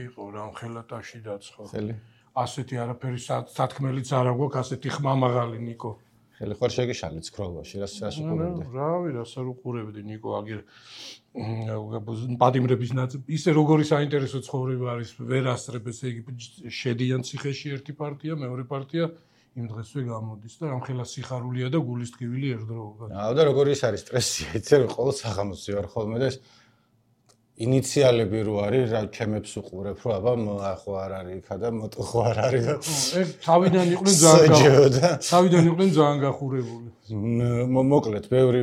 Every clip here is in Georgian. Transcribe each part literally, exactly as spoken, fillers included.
იყო რა ხელატაში დაცხო. ხელი. ასეთი არაფერი სათქმელიც არ აქვს, ასეთი ხმამაღალი ნიკო. ხელი ხარ შეგიშალით ცხროვაში, რას რას უყურებდი? რავი, რას არ უყურებდი ნიკო, აგერ პატიმრების ნაწილი, ისე როგორი საინტერესო ცხოვრება არის, ვერ ასწრებ, ესე იგი შედიან ციხეში ერთი პარტია, მეორე პარტია იმ დღესვე გამოდის და რამხელა სიხარულია და გულის ტკივილი ერთდროულად. აუ და როგორი ის არის სტრესია, იცი რომ ყოველ საღამოსი ვარ ხოლმე და ეს ინიციალები რო არის, რა ჩემებს უყურებ, რომ აბა ხო არ არის იქა და მოტო ხო არ არის და ეს თავიდან იყვნენ ძალიან თავიდან იყვნენ ძალიან გახურებული. მოკლედ, ბევრი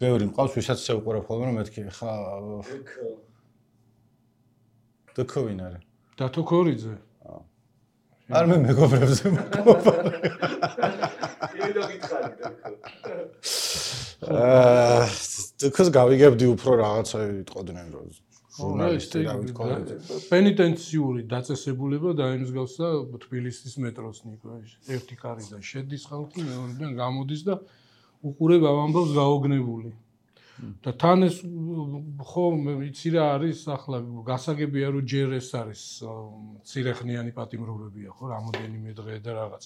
ბევრი მყავს, ვისაც შეუყურებ ხოლმე, რომ მეთქი ხა დქო ვინ არის? დათო ქორიძე. არ მე მეგობრებზე მყოფა. იმედო გითხარი დქო. აა თქოს გავიგებდი უფრო რაღაცა იტყოდნენ რომ ჟურნალისტი რა ვიტყოდი. პენიტენციური დაწესებულება დაემსგავსა თბილისის მეტროს ნიკო. ერთი კარიდან შედის ხალხი, მეორედან გამოდის და უყურებ ამ ამბავს გაოგნებული. და თან ეს ხო იცი რა არის ახლა გასაგებია რომ ჯერ ეს არის ცირეხნიანი პატიმრობებია ხო რამოდენიმე დღე და რაღაც.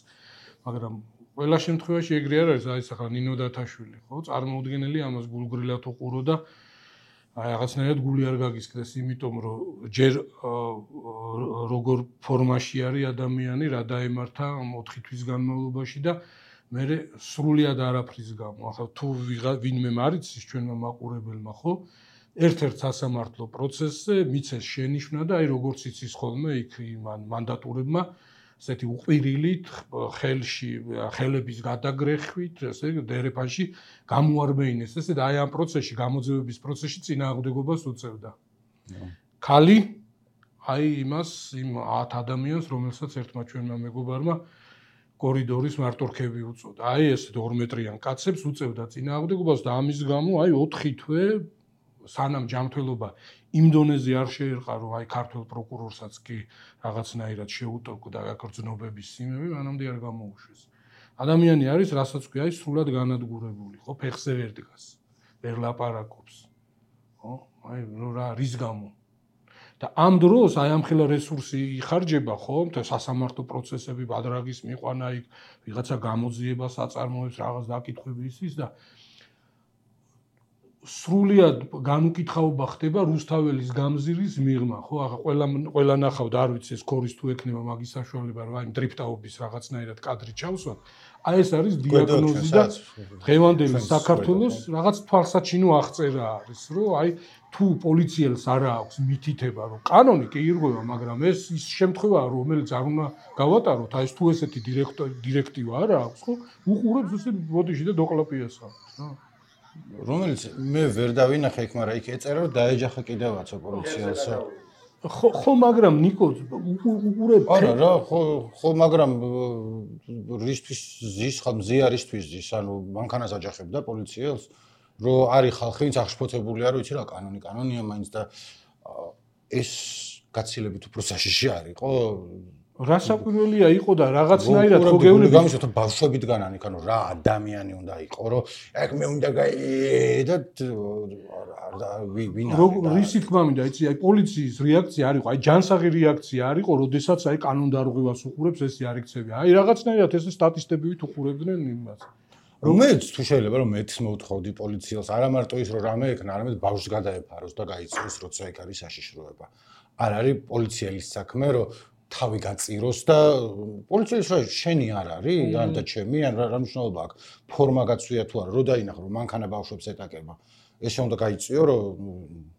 მაგრამ ყველა შემთხვევაში ეგრე არ არის, აი ახლა ნინო დათაშვილი, ხო, წარმოუდგენელი ამას გულგრილად უყურო და აი რაღაცნაირად გული არ გაგისკდეს, იმიტომ რომ ჯერ როგორ ფორმაში არის ადამიანი, რა დაემართა ოთხი თვის განმავლობაში და მე სრულიად არაფრის გამო. ახლა თუ ვინმე მარიცის ჩვენმა მაყურებელმა, ხო, ერთ-ერთ სასამართლო პროცესზე მიცეს შენიშვნა და აი როგორც იცის ხოლმე იქ მან მანდატურებმა ესეთი უყვირილით, ხელში, ხელების გადაგრეხვით, ესე დერეფანში გამოარბეინეს. ესე და აი ამ პროცესში, გამოძევების პროცესში წინააღმდეგობას უწევდა. ქალი აი იმას, იმ ათ ადამიანს, რომელსაც ერთმა ჩვენმა მეგობარმა კორიდორის მარტორქები უწოდა. აი ესე ორ მეტრიან კაცებს უწევდა წინააღმდეგობას და ამის გამო აი ოთხი თვე სანამ ჯანმრთელობა იმ დონეზე არ შეერყა, რომ აი ქართულ პროკურორსაც კი რაღაცნაირად შეუტოვო და გაგრძნობების სიმები, მანამდე არ გამოუშვეს. ადამიანი არის, რასაც ქვია, აი სრულად განადგურებული, ხო, ფეხზე ვერ დგას, ვერ ლაპარაკობს. ხო? აი რა რის გამო? და ამ დროს აი ამ ხელა რესურსი იხარჯება, ხო, და სასამართლო პროცესები ბადრაგის მიყვანა იქ, ვიღაცა გამოძიებას აწარმოებს, რაღაც დაკითხვები ის და სრულიად განუკითხაობა ხდება რუსთაველის გამზირის მიღმა, ხო, ახლა ყველა ყველა ნახავთ, არ ვიცი ეს ქორის თუ ექნება მაგის საშუალება, რომ აი დრიფტაობის რაღაცნაირად კადრი ჩავსვათ. აი ეს არის დიაგნოზი და დღევანდელი საქართველოს რაღაც თვალსაჩინო აღწერა არის, რომ აი თუ პოლიციელს არ აქვს მითითება, რომ კანონი კი ირღვევა, მაგრამ ეს ის შემთხვევაა, რომელიც არ უნდა გავატაროთ, აი ეს თუ ესეთი დირექტივა არ აქვს, ხო, უყურებს ესე ბოდიში და დოკლაპიას ხავს, რა. რომელიც მე ვერ დავინახე იქ, მაგრამ იქ ეწერა რომ დაეჯახა კიდევაცო პოლიციელსო. ხო, ხო, მაგრამ ნიკო უყურებ. არა რა, ხო, ხო, მაგრამ რისთვის ზის, ხა მზიარისთვის ზის, ანუ მანქანას აჯახებდა პოლიციელს, რომ არის ხალხი, ვინც აღშფოთებულია, რომ იცი რა, კანონი კანონია მაინც და ეს გაცილებით უფრო საშიში არ იყო. რასაკვირველია იყო და რაღაცნაირად ხო გეუბნები გამიშოთ ბავშვები დგანან იქ, ანუ რა ადამიანი უნდა იყო, რომ ეგ მე უნდა გაი და ვინ არის? რისი თქმა მინდა, იცი, აი პოლიციის რეაქცია არ იყო, აი ჯანსაღი რეაქცია არ იყო, როდესაც აი კანონდარღვევას უყურებს, ესე არ იქცევია. აი რაღაცნაირად ესე სტატისტებივით უყურებდნენ იმას. რომელიც თუ შეიძლება რომ მეც მოვთხოვდი პოლიციელს, არა მარტო ის რომ რამე ექნა, არამედ ბავშვს გადაეფაროს და გაიწვიოს, როცა იქ არის საშიშროება. არ არის პოლიციელის საქმე, რომ თავი გაწიროს და პოლიციის რა შენი არ არის, ან და ჩემი, ან რა მნიშვნელობა აქვს. ფორმა გაცვია თუ არა, რო დაინახო რომ მანქანა ბავშვებს ეტაკება. ეს უნდა გაიწვიო, რომ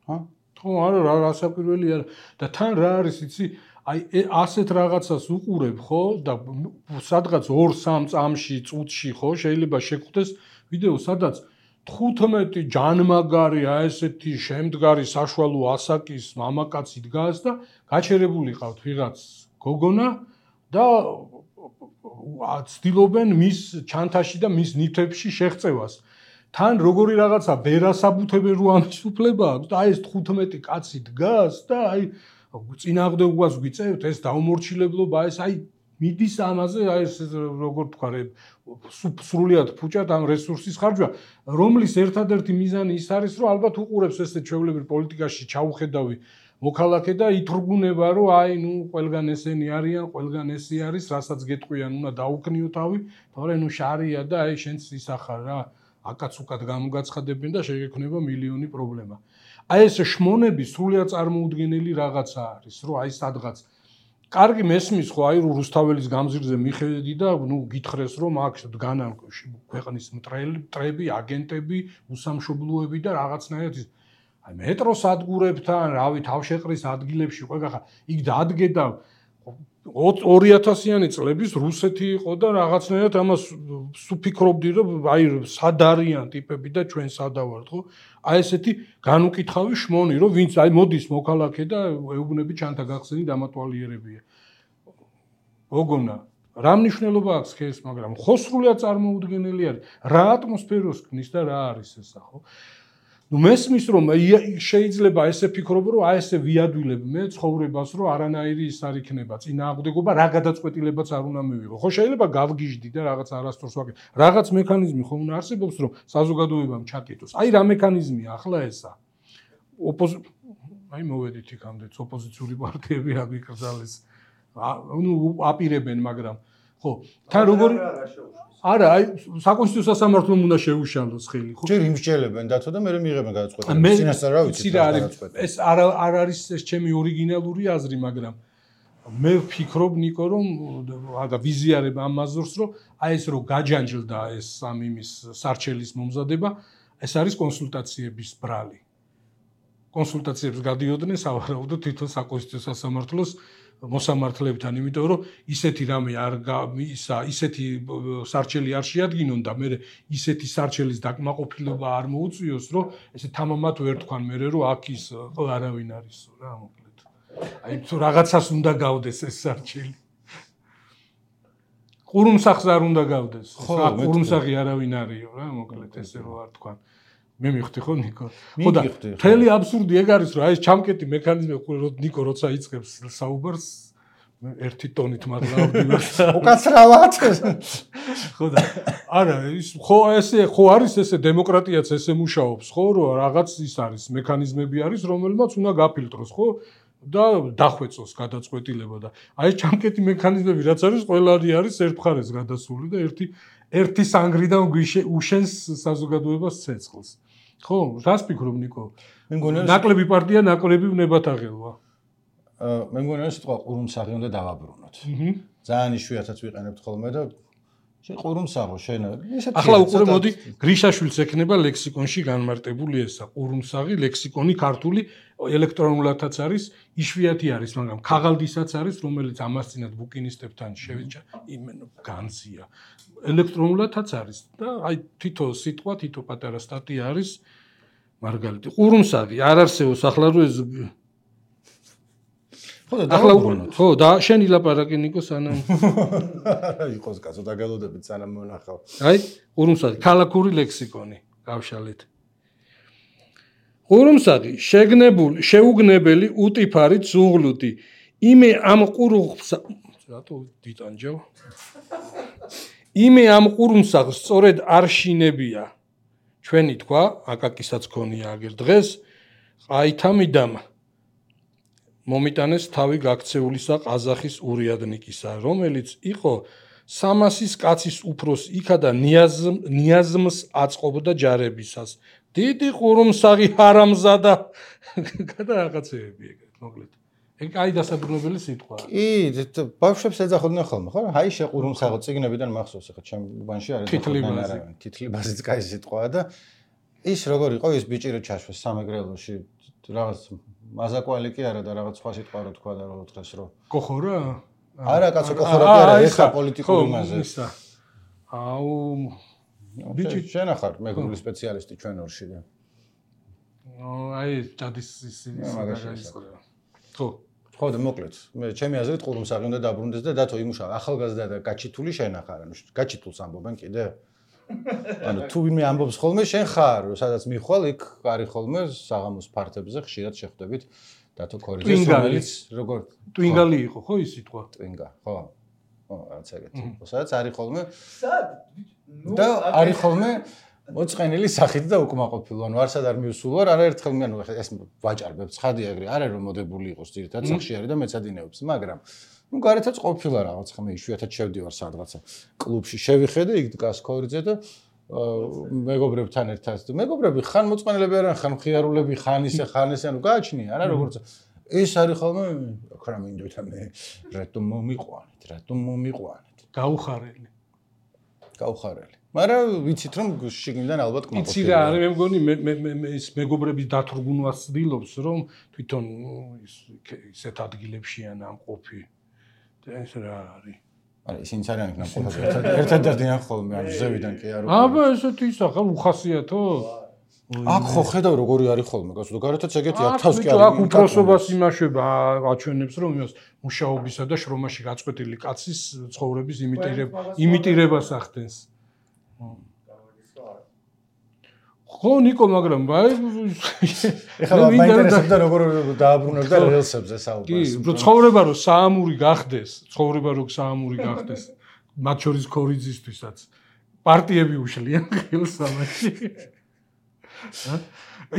ჰა? ხო, არა, რა რასაკვირველია და თან რა არის, იცი, აი ასეთ რაღაცას უყურებ, ხო, და სადღაც ორ სამ წამში, წუთში, ხო, შეიძლება შეგხვდეს ვიდეო, სადაც თხუთმეტი ჯანმაგარი, აი ესეთი შემდგარი საშუალო ასაკის მამაკაცი დგას და გაჩერებული ყავთ ვიღაც გოგონა და ცდილობენ მის ჩანთაში და მის ნივთებში შეღწევას. თან როგორი რაღაცა ბერასაბუთებენ რო ამის უფლება აქვს და აი ეს თხუთმეტი კაცი დგას და აი წინააღმდეგობას გვიწევთ, ეს დაუმორჩილებლობა, ეს აი მიდის ამაზე, აი ეს როგორ თქვა, სრულიად ფუჭად ამ რესურსის ხარჯვა, რომლის ერთადერთი მიზანი ის არის, რომ ალბათ უყურებს ესე ჩვეულებრივ პოლიტიკაში ჩაუხედავი მოქალაქე და ითრგუნება, რომ აი ნუ ყველგან ესენი არიან, ყველგან ესე არის, რასაც გეტყვიან, უნდა დაუქნიო თავი, თორე ნუ შარია და აი შენც ისახარ რა, აკაცუკად გამოგაცხადებენ და შეგექნება მილიონი პრობლემა. აი ეს შმონები სრულიად წარმოუდგენელი რაღაცა არის, რომ აი სადღაც კარგი მესმის ხო აი რუსთაველის გამზირზე მიხედი და ნუ გითხრეს რომ აქ დგანან ქვეყნის მტრები, აგენტები, უსამშობლოები და რაღაცნაირად აი მეტროს ადგურებთან, რავი, თავშეყრის ადგილებში ყველგან იქ დადგე და ორი ათასიანი წლების რუსეთი იყო და რაღაცნაირად ამას სუფიქრობდი რომ აი სად არიან ტიპები და ჩვენ სადავართ ხო? აი ესეთი განუკითხავი შმონი რომ ვინც აი მოდის მოქალაქე და ეუბნები ჩანთა გახსენი დამატვალიერებია. გოგონა, რა მნიშვნელობა აქვს ეს, მაგრამ ხო სრულიად წარმოუდგენელი არის. რა ატმოსფეროს ქმნის და რა არის ესა ხო? ნუ მესმის რომ შეიძლება ესე ფიქრობ რომ აი ესე ვიადვილებ მე ცხოვრებას რომ არანაირი ის არ იქნება წინააღმდეგობა რა გადაწყვეტილებაც არ უნდა მივიღო ხო შეიძლება გავგიჟდი და რაღაც არასდროს ვაკეთებ რაღაც მექანიზმი ხო უნდა არსებობს რომ საზოგადოებამ ჩაკეტოს აი რა მექანიზმია ახლა ესა აი მოვედით იქამდე ოპოზიციური პარტიები აბიკრძალეს ნუ აპირებენ მაგრამ ხო თან როგორი არა, აი საკონსტიტუციო სასამართლომ უნდა შეუშალოს ხელი, ხო? ჯერ იმსჯელებენ დათო და მე მიიღებენ გადაწყვეტილებას. წინასწარ რა ვიცი რა გადაწყვეტილება. ეს არ არ არის ეს ჩემი ორიგინალური აზრი, მაგრამ მე ვფიქრობ ნიკო რომ და ვიზიარებ ამ მაზურს რომ აი ეს რომ გაჯანჯლდა ეს ამ იმის სარჩელის მომზადება, ეს არის კონსულტაციების ბრალი. კონსულტაციებს გადიოდნენ სავარაუდოდ თვითონ საკონსტიტუციო სასამართლოს მოსამართლებთან, იმიტომ რომ ისეთი რამე არ ისა ისეთი სარჩელი არ შეადგინონ და მე ისეთი სარჩელის დაკმაყოფილება არ მოუწიოს, რომ ესე თამამად ვერ თქვან მე რომ აქ ის არავინ არისო რა მოკლედ. აი თუ რაღაცას უნდა გავდეს ეს სარჩელი. ყურუმსახს არ უნდა გავდეს. რა ყურუმსახი არავინ არისო რა მოკლედ ესე რომ არ თქვან. მე მივხვდი ხო ნიკო? ხო და მთელი აბსურდი ეგ არის რომ აი ეს ჩამკეტი მექანიზმი ნიკო როცა იწყებს საუბარს ერთი ტონით მაღლა უკაცრავად ხო და არა ის ხო ესე ხო არის ესე დემოკრატიაც ესე მუშაობს ხო რომ რაღაც ის არის მექანიზმები არის რომელმაც უნდა გაფილტროს ხო და დახვეწოს გადაწყვეტილება და აი ეს ჩამკეტი მექანიზმები რაც არის ყველანი არის ერთ მხარეს გადასული და ერთი ერთი სანგრიდან უშენს საზოგადოებას ცეცხლს ხო, რას ფიქრობ ნიკო? მე მგონია ნაკლები პარტია, ნაკლები ვნებათ აღელვა. მე მგონია სიტყვა ყურუმსაღი უნდა დავაბრუნოთ. ძალიან იშვიათად ვიყენებთ ხოლმე და შენ ყურუმსაღო შენ ესეთი ახლა უყურე მოდი გრიშაშვილს ექნება ლექსიკონში განმარტებული ესა ყურუმსაღი ლექსიკონი ქართული ელექტრონულადაც არის იშვიათი არის მაგრამ ქაღალდისაც არის რომელიც ამასწინათ ბუკინისტებთან შევიჭა იმენო განზია ელექტრონულადაც არის და აი თითო სიტყვა თითო პატარა სტატია არის მარგალიტი ყურუმსაღი არ არსებობს ახლა რო ეს ხო და დავაბრუნოთ ხო და შენ ილაპარაკი ნიკო სანამ არა იყოს კაცო დაგელოდებით სანამ მონახავ აი ყურუმსაღი ქალაქური ლექსიკონი გავშალეთ ყურუმსაღი შეგნებული შეუგნებელი უტიფარი ძუღლუდი იმე ამ ყურუმს რატო დიტანჯო იმე ამ ყურუმსაღს სწორედ არ შინებია ჩვენი თქვა აკაკისაც ქონია აგერ დღეს ყაითამიდამ მომიტანეს თავი გაქცეულისა ყაზახის ურიადნიკისა რომელიც იყო სამასის კაცის უფროს იქა და ნიაზმს აწყობდა ჯარებისას დიდი ყურუმსაღი ჰარამზადა გადა რაღაცეები ეგრეთ მოკლედ ეგ აი დასაბრუნებელი სიტყვაა კი ბავშვებს ეძახოდნენ ხოლმე ხო აი შეყურუმსაღო ციგნებიდან მახსოვს ახლა ჩემ ბანში არის თითლიბაზი თითლიბაზიც კაი სიტყვაა და ის როგორ იყო ის ბიჭი რო ჩაშვეს სამეგრელოში რაღაც მაზაკვალი კი არა და რაღაც სხვა სიტყვა რო თქვა და რო დღეს რო კოხორა არა კაცო კოხორა კი არა ეხა პოლიტიკური მასე აუ ბიჭი შენ ახარ მეგრული სპეციალისტი ჩვენ ორში და აი ჯადის ის ის ხო ხო და მოკლედ მე ჩემი აზრით ყურუმსაღი უნდა დაბრუნდეს და დათო იმუშავა ახალგაზრდა და გაჩითული შენ ახარ ანუ გაჩითულს ამბობენ კიდე ანუ თუ ვინმე ამბობს ხოლმე შენ ხარ სადაც მიხვალ იქ არის ხოლმე საღამოს ფართებზე ხშირად შეხვდებით დათო ქორიძეს რომელიც როგორ ტვინგალი იყო ხო ის სიტყვა ტვინგა ხო ხო, რაც ეგეთი. სადაც არის ხოლმე სად? ნუ და არის ხოლმე მოწყენილი სახით და უკმაყოფილო. ანუ არსად არ მივსულ ვარ, არაერთხელ მე ანუ ეს ვაჭარბებ ცხადი ეგრე, არ არის რომ მოდებული იყოს ძირითადად სახში არის და მეცადინეობს, მაგრამ ну გარეთაც ყოფილა რაღაც ხმე იშვიათად შევდივარ სადღაცა კლუბში შევიხედე იქ დგას ქორიძე და მეგობრებთან ერთად მეგობრები ხან მოწყენილები არიან ხან მხიარულები ხან ისე ხან ესე ანუ გააჩნია არა როგორც ეს არის ხოლმე ხარა მინდოდა მე რატომ მომიყვანეთ რატომ მომიყვანეთ გაუხარელი გაუხარელი მაგრამ ვიცით რომ შიგნიდან ალბათ კმაყოფილია იცი რა არის მე მგონი მე მე ეს მეგობრების დათრგუნვას ცდილობს რომ თვითონ ისეთ ადგილებშიან ამ ყოფი ეს რა არის არა ისინიც არიან იქ ნამყოფები ერთად დადიან ხოლმე ამ ზევიდან კი არ უკვე აბა ესეთი ისახა უხასიათო აქ ხო ხედავ როგორი არის ხოლმე გასულ გარეთაც ეგეთი ათავს კი არის აქ უფროსობას იმაშება აჩვენებს რომ იმას მუშაობისა და შრომაში გაწყვეტილი კაცის ცხოვრების იმიტირებას ახდენს ხო ნიკო მაგრამ აი ეხლა მაინტერესებდა როგორ დააბრუნებ და რელსებზე საუბარს კი ცხოვრება რომ საამური გახდეს ცხოვრება რომ საამური გახდეს მათ შორის ქორიძისთვისაც პარტიები უშლიან ხელს ამაში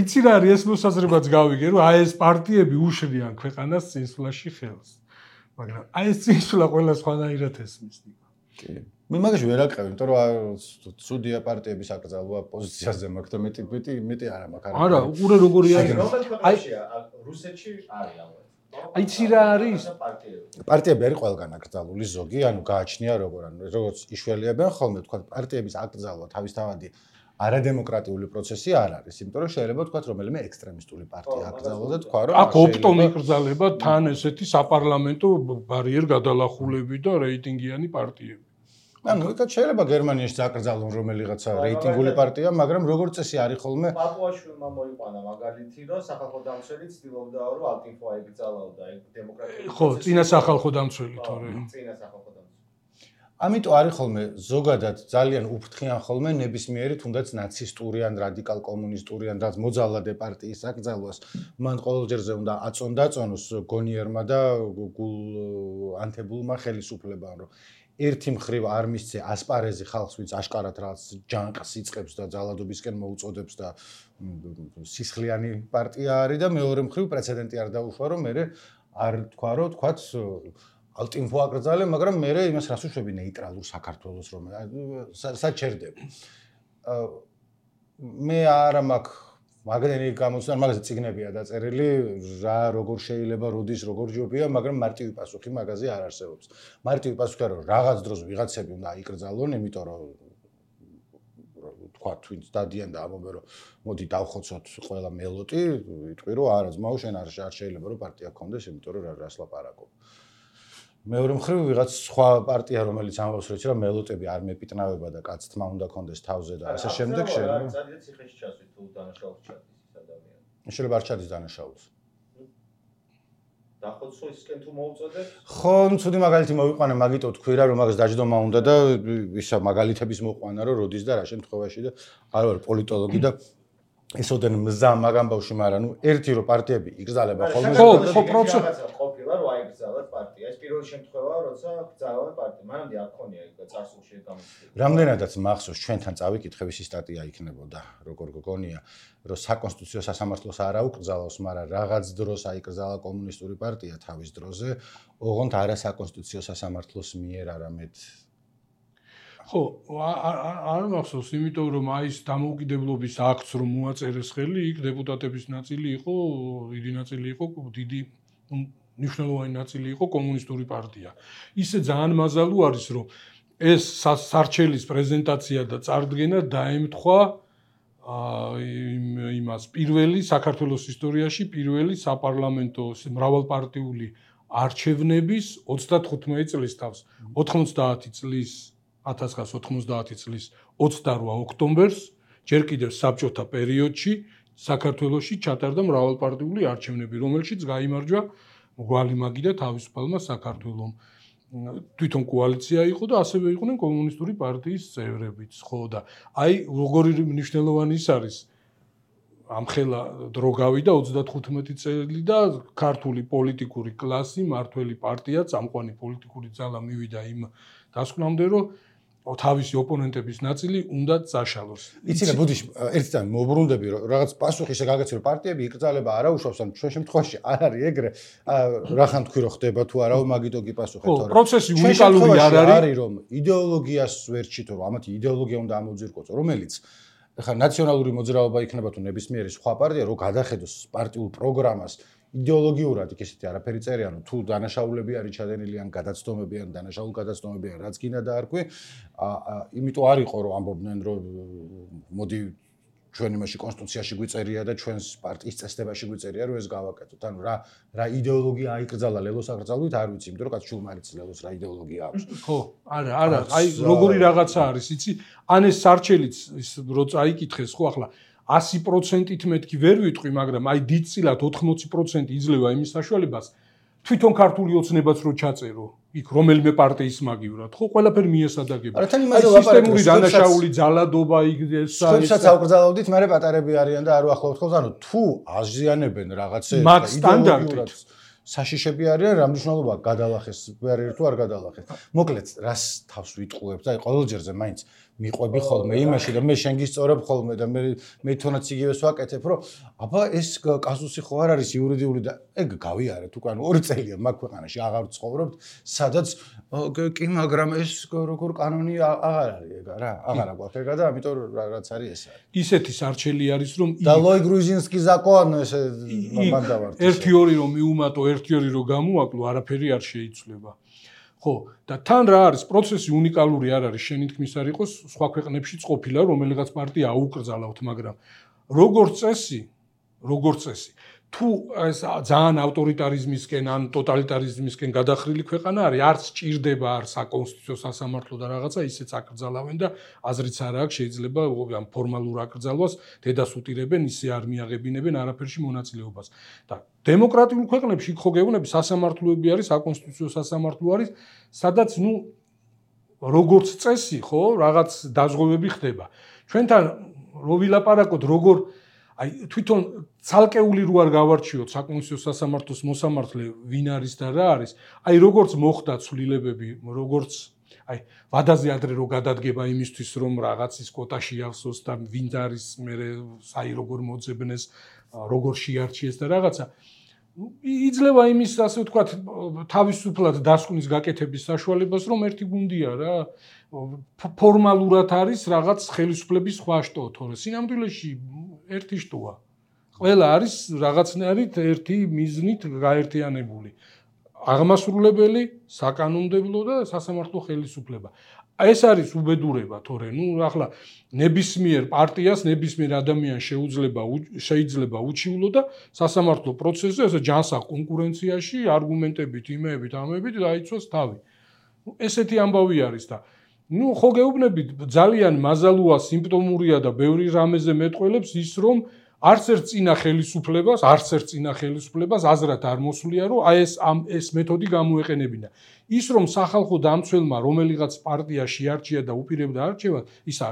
იცი რა არის ეს მოსაზრებაც გავიგე რომ აი ეს პარტიები უშლიან ქვეყანას წინსვლაში ხელს მაგრამ აი ეს წინსვლა ყველა სხვანაირად ესმის კი მე მაგაში ვერ აკრავი, იმიტომ რომ ცუდია პარტიების აკრძალვა პოზიციაზე მაქვს და მეტი მეტი მეტი არა მაქვს. არა, უყურე როგორი არის. აი რუსეთში არის ამბავი. აი ცი რა არის? პარტიები არის ყველგან აკრძალული ზოგი, ანუ გააჩნია როგორ ანუ როგორც იშველიებენ ხოლმე თქვა პარტიების აკრძალვა თავისთავადი არადემოკრატიული პროცესი არ არის, იმიტომ რომ შეიძლება თქვა რომელიმე ექსტრემისტული პარტია აკრძალვა და თქვა რომ აქ ოპტომი იკრძალება თან ესეთი საპარლამენტო ბარიერ გადალახულები და რეიტინგიანი პარტიები. ანუ ეკა შეიძლება გერმანიაში წაკრძალონ რომელიღაცა რეიტინგული პარტია, მაგრამ როგორც წესი არის ხოლმე პაპუაშვილმა მოიყვანა მაგალითი, რომ სახალხო დამცველი ცდილობდა რომ ალტინფო აიგრძალავდა ეგ დემოკრატიული ხო, წინა სახალხო დამცველი თორე. წინა სახალხო დამცველი. ამიტომ არის ხოლმე ზოგადად ძალიან უფრთხიან ხოლმე ნებისმიერი თუნდაც ნაცისტური ან რადიკალ კომუნისტური ან რაც მოძალადე პარტიის აკრძალვას მან ყოველჯერზე უნდა აწონ-დაწონოს გონიერმა და გულ ანთებულმა ხელისუფლებამ რომ ერთი მხრივ არ მისცე ასპარეზი ხალხს ვინც აშკარად რაც ჯანყს იწყებს და ძალადობისკენ მოუწოდებს და სისხლიანი პარტია არის და მეორე მხრივ პრეცედენტი არ დაუშვა რომ მე არ თქვა რომ თქვაც ალტინფო აკრძალე მაგრამ მე იმას რას უშვები ნეიტრალურ საქართველოს რომ საჩერდები მე არა მაქვს მაგდენი გამოცდა მაგაზე ციგნებია დაწერილი რა როგორ შეიძლება როდის როგორ ჯობია მაგრამ მარტივი პასუხი მაგაზე არ არსებობს მარტივი პასუხი არა რომ რაღაც დროს ვიღაცები უნდა აიკრძალონ იმიტომ რომ თქვა twins დადიან და ამობენ რომ მოდი დავხოცოთ ყველა მელოტი იტყვი რომ არა ძმაო შენ არ შეიძლება რომ პარტია გქონდეს იმიტომ რომ რას ლაპარაკობ მეორე მხრივ ვიღაც სხვა პარტია რომელიც ამბობს რომ იცი რა მელოტები არ მეპიტნავება და კაც თმა უნდა კონდეს თავზე და ასე შემდეგ შეიძლება ძალიან ციხეში ჩასვით თუ დანაშაულს ჩადის ის ადამიანი შეიძლება არ ჩადის დანაშაულს დახოცო ისკენ თუ მოუწოდებ ხო ცუდი მაგალითი მოვიყვანე მაგიტო თქვი რა რომ მაგას დაждომა უნდა და ისა მაგალითების მოყვანა რომ როდის და რა შემთხვევაში და არ ვარ პოლიტოლოგი და ესოდენ მზა მაგამ ბავში მაგრამ ნუ ერთი რო პარტიები იგრძალება ხოლმე ხო ხო პროცესი ყოფილა რომ აიგრძალათ პარტია ეს პირველი შემთხვევაა როცა გრძალავენ პარტია მანამდე არ ქონია იქ წარსულში გამოსული რამდენადაც მახსოვს ჩვენთან წავიკითხების სტატია იქნებოდა როგორ გგონია რომ საკონსტიტუციო სასამართლოს არ აუკრძალავს მაგრამ რაღაც დროს აიკრძალა კომუნისტური პარტია თავის დროზე ოღონდ არა საკონსტიტუციო სასამართლოს მიერ არამედ ხო, არ მახსოვს, იმიტომ რომ აი ეს დამოუკიდებლობის აქტს რომ მოაწერეს ხელი, იქ დეპუტატების ნაწილი იყო, დიდი ნაწილი იყო, დიდი მნიშვნელოვანი ნაწილი იყო კომუნისტური პარტია. ისე ძალიან მაზალუ არის, რომ ეს სარჩელის პრეზენტაცია და წარდგენა დაემთხვა იმას პირველი საქართველოს ისტორიაში პირველი საპარლამენტო მრავალპარტიული არჩევნების ოცდათხუთმეტი წლის თავს, ოთხმოცდაათი წლის ათას ცხრაასი ოთხმოცდაათი წლის ოცდარვა ოქტომბერს ჯერ კიდევ საბჭოთა პერიოდში საქართველოში ჩატარდა მრავალპარტიული არჩევნები, რომელშიც გაიმარჯვა გვალიმაგი და თავისუფალმა საქართველომ. თვითონ კოალიცია იყო და ასევე იყვნენ კომუნისტური პარტიის წევრებიც, ხო და აი როგორი მნიშვნელოვანი ის არის ამხელა დრო გავიდა ოცდათხუთმეტი წელი და ქართული პოლიტიკური კლასი, მართველი პარტია, წამყვანი პოლიტიკური ძალა მივიდა იმ დასკვნამდე, რომ თავისი ოპონენტების ნაწილი უნდა წაშალოს. იცი რა, ბუდიში, ერთი წამი მოუბრუნდები, რომ რაღაც პასუხი შეგაგაცი, რომ პარტიები იკრძალება არა უშავს, ან ჩვენ შემთხვევაში არ არის ეგრე, რახან თქვი რომ ხდება თუ არა, მაგიტო კი პასუხი თორე. ხო, პროცესი უნიკალური არ არის, რომ იდეოლოგიას ვერ ჩითო, რომ ამათი იდეოლოგია უნდა ამოძირკოწო, რომელიც ხა ნაციონალური მოძრაობა იქნება თუ ნებისმიერი სხვა პარტია, რომ გადახედოს პარტიულ პროგრამას იდეოლოგიურად იქ ესეთი არაფერი წერია, რომ თუ დანაშაულები არის ჩადენილი ან გადაცდომები ან დანაშაულ გადაცდომები ან რაც გინდა დაარქვი, იმიტომ არ იყო რომ ამბობდნენ რომ მოდი ჩვენ იმაში კონსტიტუციაში გვიწერია და ჩვენს პარტიის წესდებაში გვიწერია რომ ეს გავაკეთოთ. ანუ რა რა იდეოლოგია აიკრძალა ლელოს აკრძალვით არ ვიცი, იმიტომ რომ კაც ჩულმარიც ლელოს რა იდეოლოგია აქვს. ხო, არა, არა, აი როგორი რაღაცა არის, იცი? ან ეს სარჩელიც ის რო წაიკითხეს, ხო, ახლა ასი პროცენტით მეთქი ვერ ვიტყვი, მაგრამ აი დიდწილად ოთხმოცი პროცენტი იძლევა იმის საშუალებას, თვითონ ქართული ოცნებაც რო ჩაწერო, იქ რომელიმე პარტიის მაგივრად, ხო, ყველაფერი მიესადაგება. არა, თან იმაზე ვაპარაკობ, სისტემური დანაშაული ძალადობა იქ ეს სხვებსაც აუკრძალავდით, მაგრამ პატარები არიან და არ უახლოვთ ხოლმე, ანუ თუ აზიანებენ რაღაცებს იდეოლოგიურად საშიშები არიან, რა მნიშვნელობა გადალახეს, ვერ თუ არ გადალახეს. მოკლედ, რას თავს ვიტყუებ და აი ყოველჯერზე მაინც მიყვები ხოლმე იმაში და მე შენ გისწორებ ხოლმე და მე მე თონაც იგივეს ვაკეთებ, რომ აბა ეს კაზუსი ხო არ არის იურიდიული და ეგ გავიარეთ უკვე, ანუ ორი წელია მაგ ქვეყანაში აღარ ვცხოვრობთ, სადაც კი, მაგრამ ეს როგორ კანონი აღარ არის ეგ რა, აღარა გვაქვს ეგა და ამიტომ რაც არის ეს არის. ისეთი სარჩელი არის, რომ და ლოი გრუზინსკი ზაკონ ეს მანდავართ. ერთი ორი რომ მიუმატო, ერთი ორი რომ გამოაკლო, არაფერი არ შეიცვლება. ხო, და თან რა არის, პროცესი უნიკალური არ არის, შენი თქმის არ იყოს, სხვა ქვეყნებშიც ყოფილა, რომელიღაც პარტია აუკრძალავთ, მაგრამ როგორც წესი, როგორც წესი, თუ ეს ძალიან ავტორიტარიზმისკენ ან ტოტალიტარიზმისკენ გადახრილი ქვეყანა არის, არც ჭირდება არ საკონსტიტუციო სასამართლო და რაღაცა, ისეც აკრძალავენ და აზრიც არ აქვს, შეიძლება ამ ფორმალურ აკრძალვას დედას უტირებენ, ისე არ მიაღებინებენ არაფერში მონაწილეობას. და დემოკრატიულ ქვეყნებში ხო გეუბნები, სასამართლოები არის, საკონსტიტუციო სასამართლო არის, სადაც ნუ როგორც წესი, ხო, რაღაც დაზღვევები ხდება. ჩვენთან რო ვილაპარაკოთ, როგორ აი თვითონ ცალკეული რო არ გავარჩიოთ საკონსტიტუციო სასამართლოს მოსამართლე ვინ არის და რა არის, აი როგორც მოხდა ცვლილებები, როგორც აი ვადაზე ადრე რო გადადგება იმისთვის რომ რაღაცის კვოტაში ახსოს და ვინ არის მე საი როგორ მოძებნეს, როგორ შეარჩიეს და რაღაცა იძლევა იმის ასე ვთქვათ თავისუფლად დასკვნის გაკეთების საშუალებას რომ ერთი გუნდია რა ფორმალურად არის რაღაც ხელისუფლების სხვა შტო თორე სინამდვილეში ერთი შტოა ყველა არის რაღაცნაირად ერთი მიზნით გაერთიანებული აღმასრულებელი საკანონმდებლო და სასამართლო ხელისუფლება ეს არის უბედურება თორე ნუ ახლა ნებისმიერ პარტიას ნებისმიერ ადამიანს შეუძლება შეიძლება უჩივლო და სასამართლო პროცესზე ესე ჯანსაღ კონკურენციაში არგუმენტებით იმეებით ამებით დაიცვას თავი ესეთი ამბავი არის და ნუ ხო გეუბნებით ძალიან მაზალუა სიმპტომურია და ბევრი რამეზე მეტყველებს ის რომ არც ერთ წინა ხელისუფლებას არც ერთ წინა ხელისუფლებას აზრად არ მოსვლია რომ აი ეს ამ ეს მეთოდი გამოეყენებინა ის რომ სახალხო დამცველმა რომელიღაც პარტია შეარჩია და უპირებდა არჩევას ისა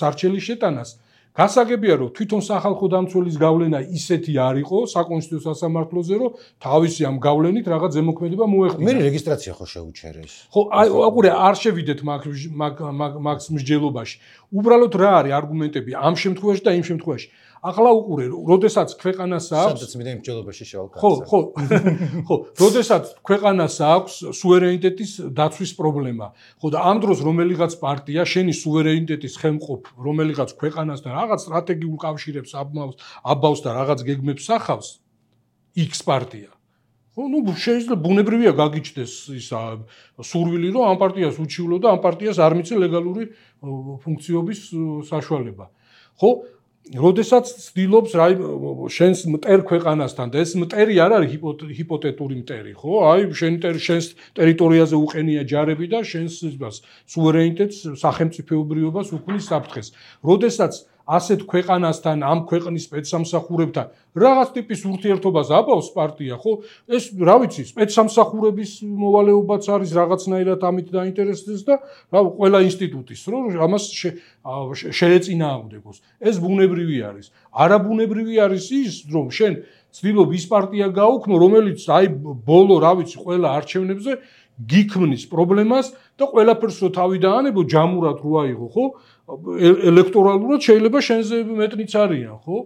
სარჩელის შეტანას გასაგებია რომ თვითონ სახალხო დამცველის გავლენა ისეთი არ იყო საკონსტიტუციო სასამართლოზე რომ თავისი ამ გავლენით რაღაც ზემოქმედება მოეხდინა მე რეგისტრაცია ხო შეუჩერეს ხო აი აყურე არ შევიდეთ მაგ მაგ მაგსმსჯელობაში უბრალოდ რა არის არგუმენტები ამ შემთხვევაში და იმ შემთხვევაში ახლა უყურე როდესაც ქვეყანას აქვს სადაც მე იმ მსჯელობაში შევალ ხო ხო ხო როდესაც ქვეყანას აქვს სუვერენიტეტის დაცვის პრობლემა ხო და ამ დროს რომელიღაც პარტია შენი სუვერენიტეტის ხელმყოფ რომელიღაც ქვეყანასთან რაღაც სტრატეგიულ კავშირებს აბავს აბავს და რაღაც გეგმებს ახავს X პარტია ხო ნუ შეიძლება ბუნებრივია გაგიჩნდეს ისა სურვილი რომ ამ პარტიას უჩივლო და ამ პარტიას არ მიცე ლეგალური ფუნქციობის საშუალება ხო როდესაც ცდილობს რა შენს მტერ ქვეყანასთან და ეს მტერი არ არის ჰიპოთეტური მტერი ხო აი შენ შენს ტერიტორიაზე უყენია ჯარები და შენს სუვერენიტეტს სახელმწიფოებრიობას უქმნის საფრთხეს როდესაც ასეთ ქვეყანასთან, ამ ქვეყნის სპეცსამსახურებთან რაღაც ტიპის ურთიერთობას აბავს პარტია, ხო? ეს რა ვიცი, სპეცსამსახურების მოვალეობაც არის რაღაცნაირად ამით დაინტერესდეს და რა ყველა ინსტიტუტის რომ ამას შეეწინააღმდეგოს. ეს ბუნებრივი არის. არაბუნებრივი არის ის, რომ შენ ცდილობ ის პარტია გაუქმნო, რომელიც აი ბოლო რა ვიცი, ყველა არჩევნებზე გიქმნის პრობლემას და ყველაფერს რო თავი დაანებო ჯამურად რო აიღო, ხო? ელექტორალურად შეიძლება შენზე მეტნიც არიან, ხო?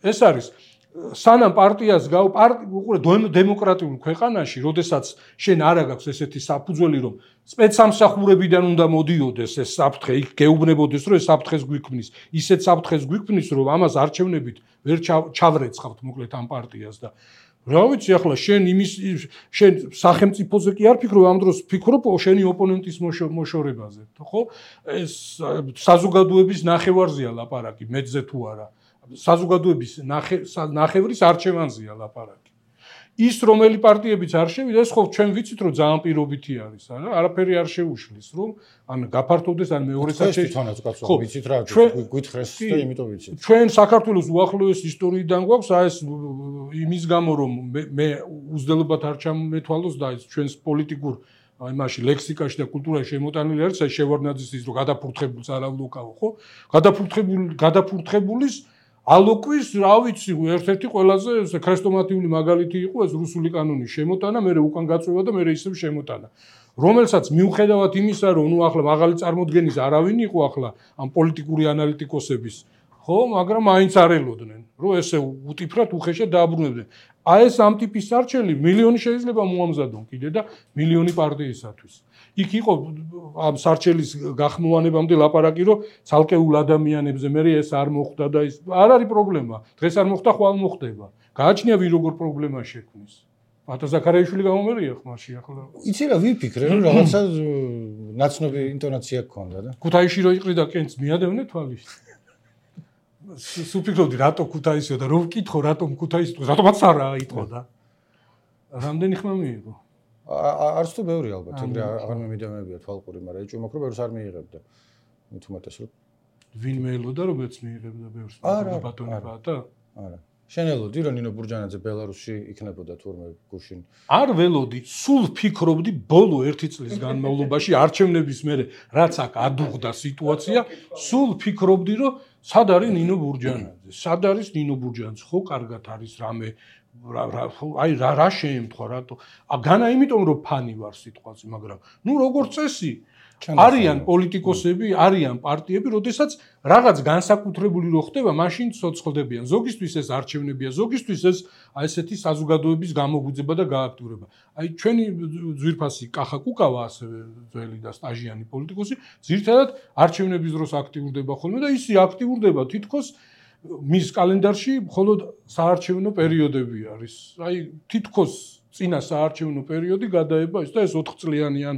ეს არის სანამ პარტიას გაუ უყურე დემოკრატიულ ქვეყანაში, როდესაც შენ არა გაქვს ესეთი საფუძველი, რომ სპეცსამსახურებიდან უნდა მოდიოდეს ეს საფრთხე, იქ გეუბნებოდეს, რომ ეს საფრთხეს გვიქმნის, ისეთ საფრთხეს გვიქმნის, რომ ამას არჩევნებით ვერ ჩავრეცხავთ მოკლედ ამ პარტიას და რა ვიცი ახლა შენ იმის შენ სახელმწიფოზე კი არ ფიქრობ, ამ დროს ფიქრობ შენი ოპონენტის მოშორებაზე, ხო? ეს საზოგადოების ნახევარზეა ლაპარაკი, მეძზე თუ არა. საზოგადოების ნახევრის არჩევანზეა ლაპარაკი. ის რომელი პარტიებიც არ შევიდა, ეს ხო ჩვენ ვიცით რომ ძალიან პირობითი არის, არა? არაფერი არ შეუშლის, რომ ან გაფართოვდეს ან მეორე საჩე. ხო, ვიცით რა, გვითხრეს და იმიტომ ვიცით. ჩვენ საქართველოს უახლოეს ისტორიიდან გვაქვს აი ეს იმის გამო რომ მე უძველობად არ ჩამეთვალოს და ეს ჩვენს პოლიტიკურ აი მაშინ ლექსიკაში და კულტურაში შემოტანილი არის აი შევარდნაძის ის რომ გადაფურთხებულს არ ავლოკავ, ხო? გადაფურთხებული გადაფურთხებულის ალოკვის, რა ვიცი, ერთ-ერთი ყველაზე ქრესტომატიული მაგალითი იყო ეს რუსული კანონის შემოტანა, მერე უკან გაწვევა და მერე ისევ შემოტანა. რომელსაც მიუხედავად იმისა, რომ ნუ ახლა მაღალი წარმოდგენის არავინ იყო ახლა ამ პოლიტიკური ანალიტიკოსების, ხო, მაგრამ მაინც არ ელოდნენ, რომ ესე უტიფრად უხეშად დააბრუნებდნენ. აი ეს ამ ტიპის არჩელი მილიონი შეიძლება მოამზადონ კიდე და მილიონი პარტიისათვის. იქ იყო ამ სარჩელის გახმოვანებამდე ლაპარაკი, რომ ცალკეულ ადამიანებზე მე ეს არ მოხდა და ის არ არის პრობლემა. დღეს არ მოხდა, ხვალ მოხდება. გააჩნია ვინ როგორ პრობლემა შექმნის. ბატონ ზაქარიაშვილი გამომერია ხმაში ახლა. იცი რა ვიფიქრე, რომ რაღაცა ნაცნობი ინტონაცია გქონდა და. ქუთაისში რო იყრიდა კენც მიადევნე თვალის. სუფიქრობდი რატო ქუთაისიო და რომ ვკითხო რატომ ქუთაისი რატომაც არა იტყო და. რამდენი ხმა მიიღო? არც თუ ბევრი ალბათ, ეგრე აღარ მემიდამებია თვალყური, მაგრამ ეჭვი მაქვს რომ ბევრს არ მიიღებდა. მით უმეტეს რომ ვინ მეელოდა რომ მეც მიიღებდა ბევრს ბატონი ბატა? არა. შენ ელოდი რომ ნინო ბურჯანაძე ბელარუსში იქნებოდა თურმე გუშინ? არ ველოდი, სულ ფიქრობდი ბოლო ერთი წლის განმავლობაში არჩევნების მერე რაც აქ ადუღდა სიტუაცია, სულ ფიქრობდი რომ სად არის ნინო ბურჯანაძე? სად არის ნინო ბურჯანაძე? ხო, კარგად არის რამე აი რა რა შეემთხვა რატო? განა იმიტომ რომ ფანი ვარ სიტყვაზე, მაგრამ ნუ როგორც წესი არიან პოლიტიკოსები, არიან პარტიები, როდესაც რაღაც განსაკუთრებული რო ხდება, მაშინ ცოცხლდებიან. ზოგისთვის ეს არჩევნებია, ზოგისთვის ეს აი ესეთი საზოგადოების გამოგვიძება და გააქტიურება. აი ჩვენი ძვირფასი კახა კუკავა ასევე ძველი და სტაჟიანი პოლიტიკოსი, ძირთადად არჩევნების დროს აქტიურდება ხოლმე და ისი აქტიურდება თითქოს მის კალენდარში მხოლოდ საარჩევნო პერიოდები არის. აი თითქოს წინა საარჩევნო პერიოდი გადაება ის და ეს ოთხ წლიანი ან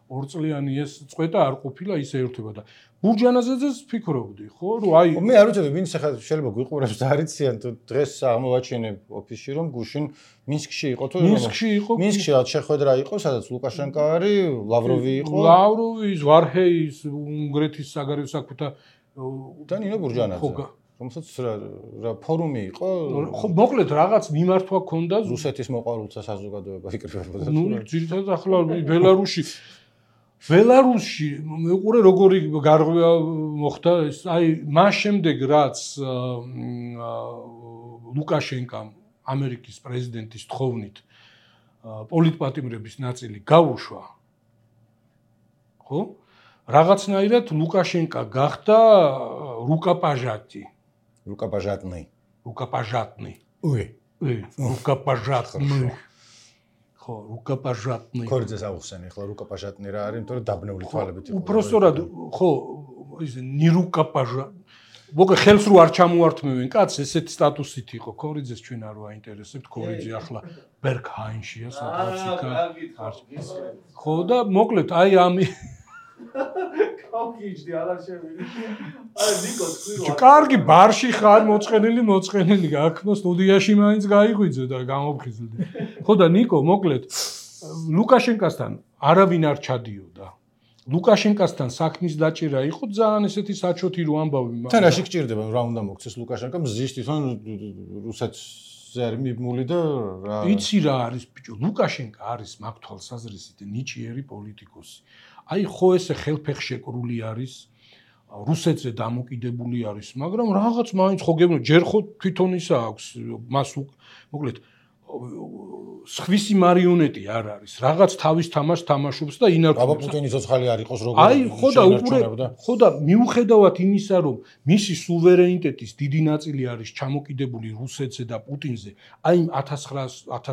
ორ წლიანი ეს წვედა არ ყოფილა ისე ერთობა და ბურჯანაძეძეს ფიქრობდი, ხო, რომ აი მე არ ვიცოდი ვინ შეიძლება გვიყურებს და არიციან თუ დღეს აღმოვაჩინე ოფისში რომ გუშინ მინსკში იყო თუ მინსკში იყო მინსკში რაც შეხვედრა იყო, სადაც ლუკაშენკო არის, ლავროვი იყო, ლავროვი, ვარჰეის უნგრეთის საგარეო საქმეთა და ნინო ბურჯანაძე. რომელსაც რა ფორუმი იყო? ხო, მოკლედ რაღაც მიმართვა ქონდა რუსეთის მოყვარულთა საზოგადოება იკრიბებოდა. ნუ ძირითადად ახლა ბელარუსში ბელარუსში მეყურე როგორი გარღვევა მოხდა ეს აი მას შემდეგ რაც ლუკაშენკამ ამერიკის პრეზიდენტის თხოვნით პოლიტპატიმრების ნაწილი გაუშვა, ხო? რაღაცნაირად ლუკაშენკა გახდა რუკაპაჟატი. რუკაპაჟატნი. რუკაპაჟატნი. უი. უი, რუკაპაჟატნი. ხო, რუკაპაჟატნი. ქორიძეს აუხსენე, ახლა რუკაპაჟატნი რა არის, იმიტომ რომ დაბნეული თვალებით იყო. უბრალოდ ხო, ის ნირუკაპაჟა. მოგე ხელს რო არ ჩამოართმევენ კაცს, ესეთი სტატუსით იყო. ქორიძეს ჩვენ არ ვაინტერესებთ, ქორიძე ახლა ბერგჰაინშია, სადღაც იქა. ხო და მოკლედ აი ამი კავკიჯდი აღარ შევიდი. აი ნიკო თქვი კარგი ბარში ხარ მოწყენილი მოწყენილი აქ სტუდიაში მაინც გაიღვიძე და გამოფხიზლდი. ხო და ნიკო მოკლედ ლუკაშენკასთან არავინ არ ჩადიოდა. ლუკაშენკასთან საქმის დაჭერა იყო ძალიან ესეთი საჩოთი რო ამბავი. თან რაში გჭირდება რა უნდა მოქცეს ლუკაშენკომ ზის თვითონ რუსეთზე არის მიმული და რა იცი რა არის ბიჭო ლუკაშენკა არის მაგ თვალსაზრისით ნიჭიერი პოლიტიკოსი. აი ხო ესე ხელფეხშეკრული არის რუსეთზე დამოკიდებული არის მაგრამ რაღაც მაინც ხო გეუბნები ჯერ ხო თვითონ ისა აქვს მას მოკლედ სხვისი მარიონეტი არ არის რაღაც თავის თამაშს თამაშობს და ინარჩუნებს. აბა პუტინის ცოცხალი არ იყოს როგორ აი ხო და უკვე ხო და მიუხედავად იმისა რომ მისი სუვერენიტეტის დიდი ნაწილი არის ჩამოკიდებული რუსეთზე და პუტინზე აი ათას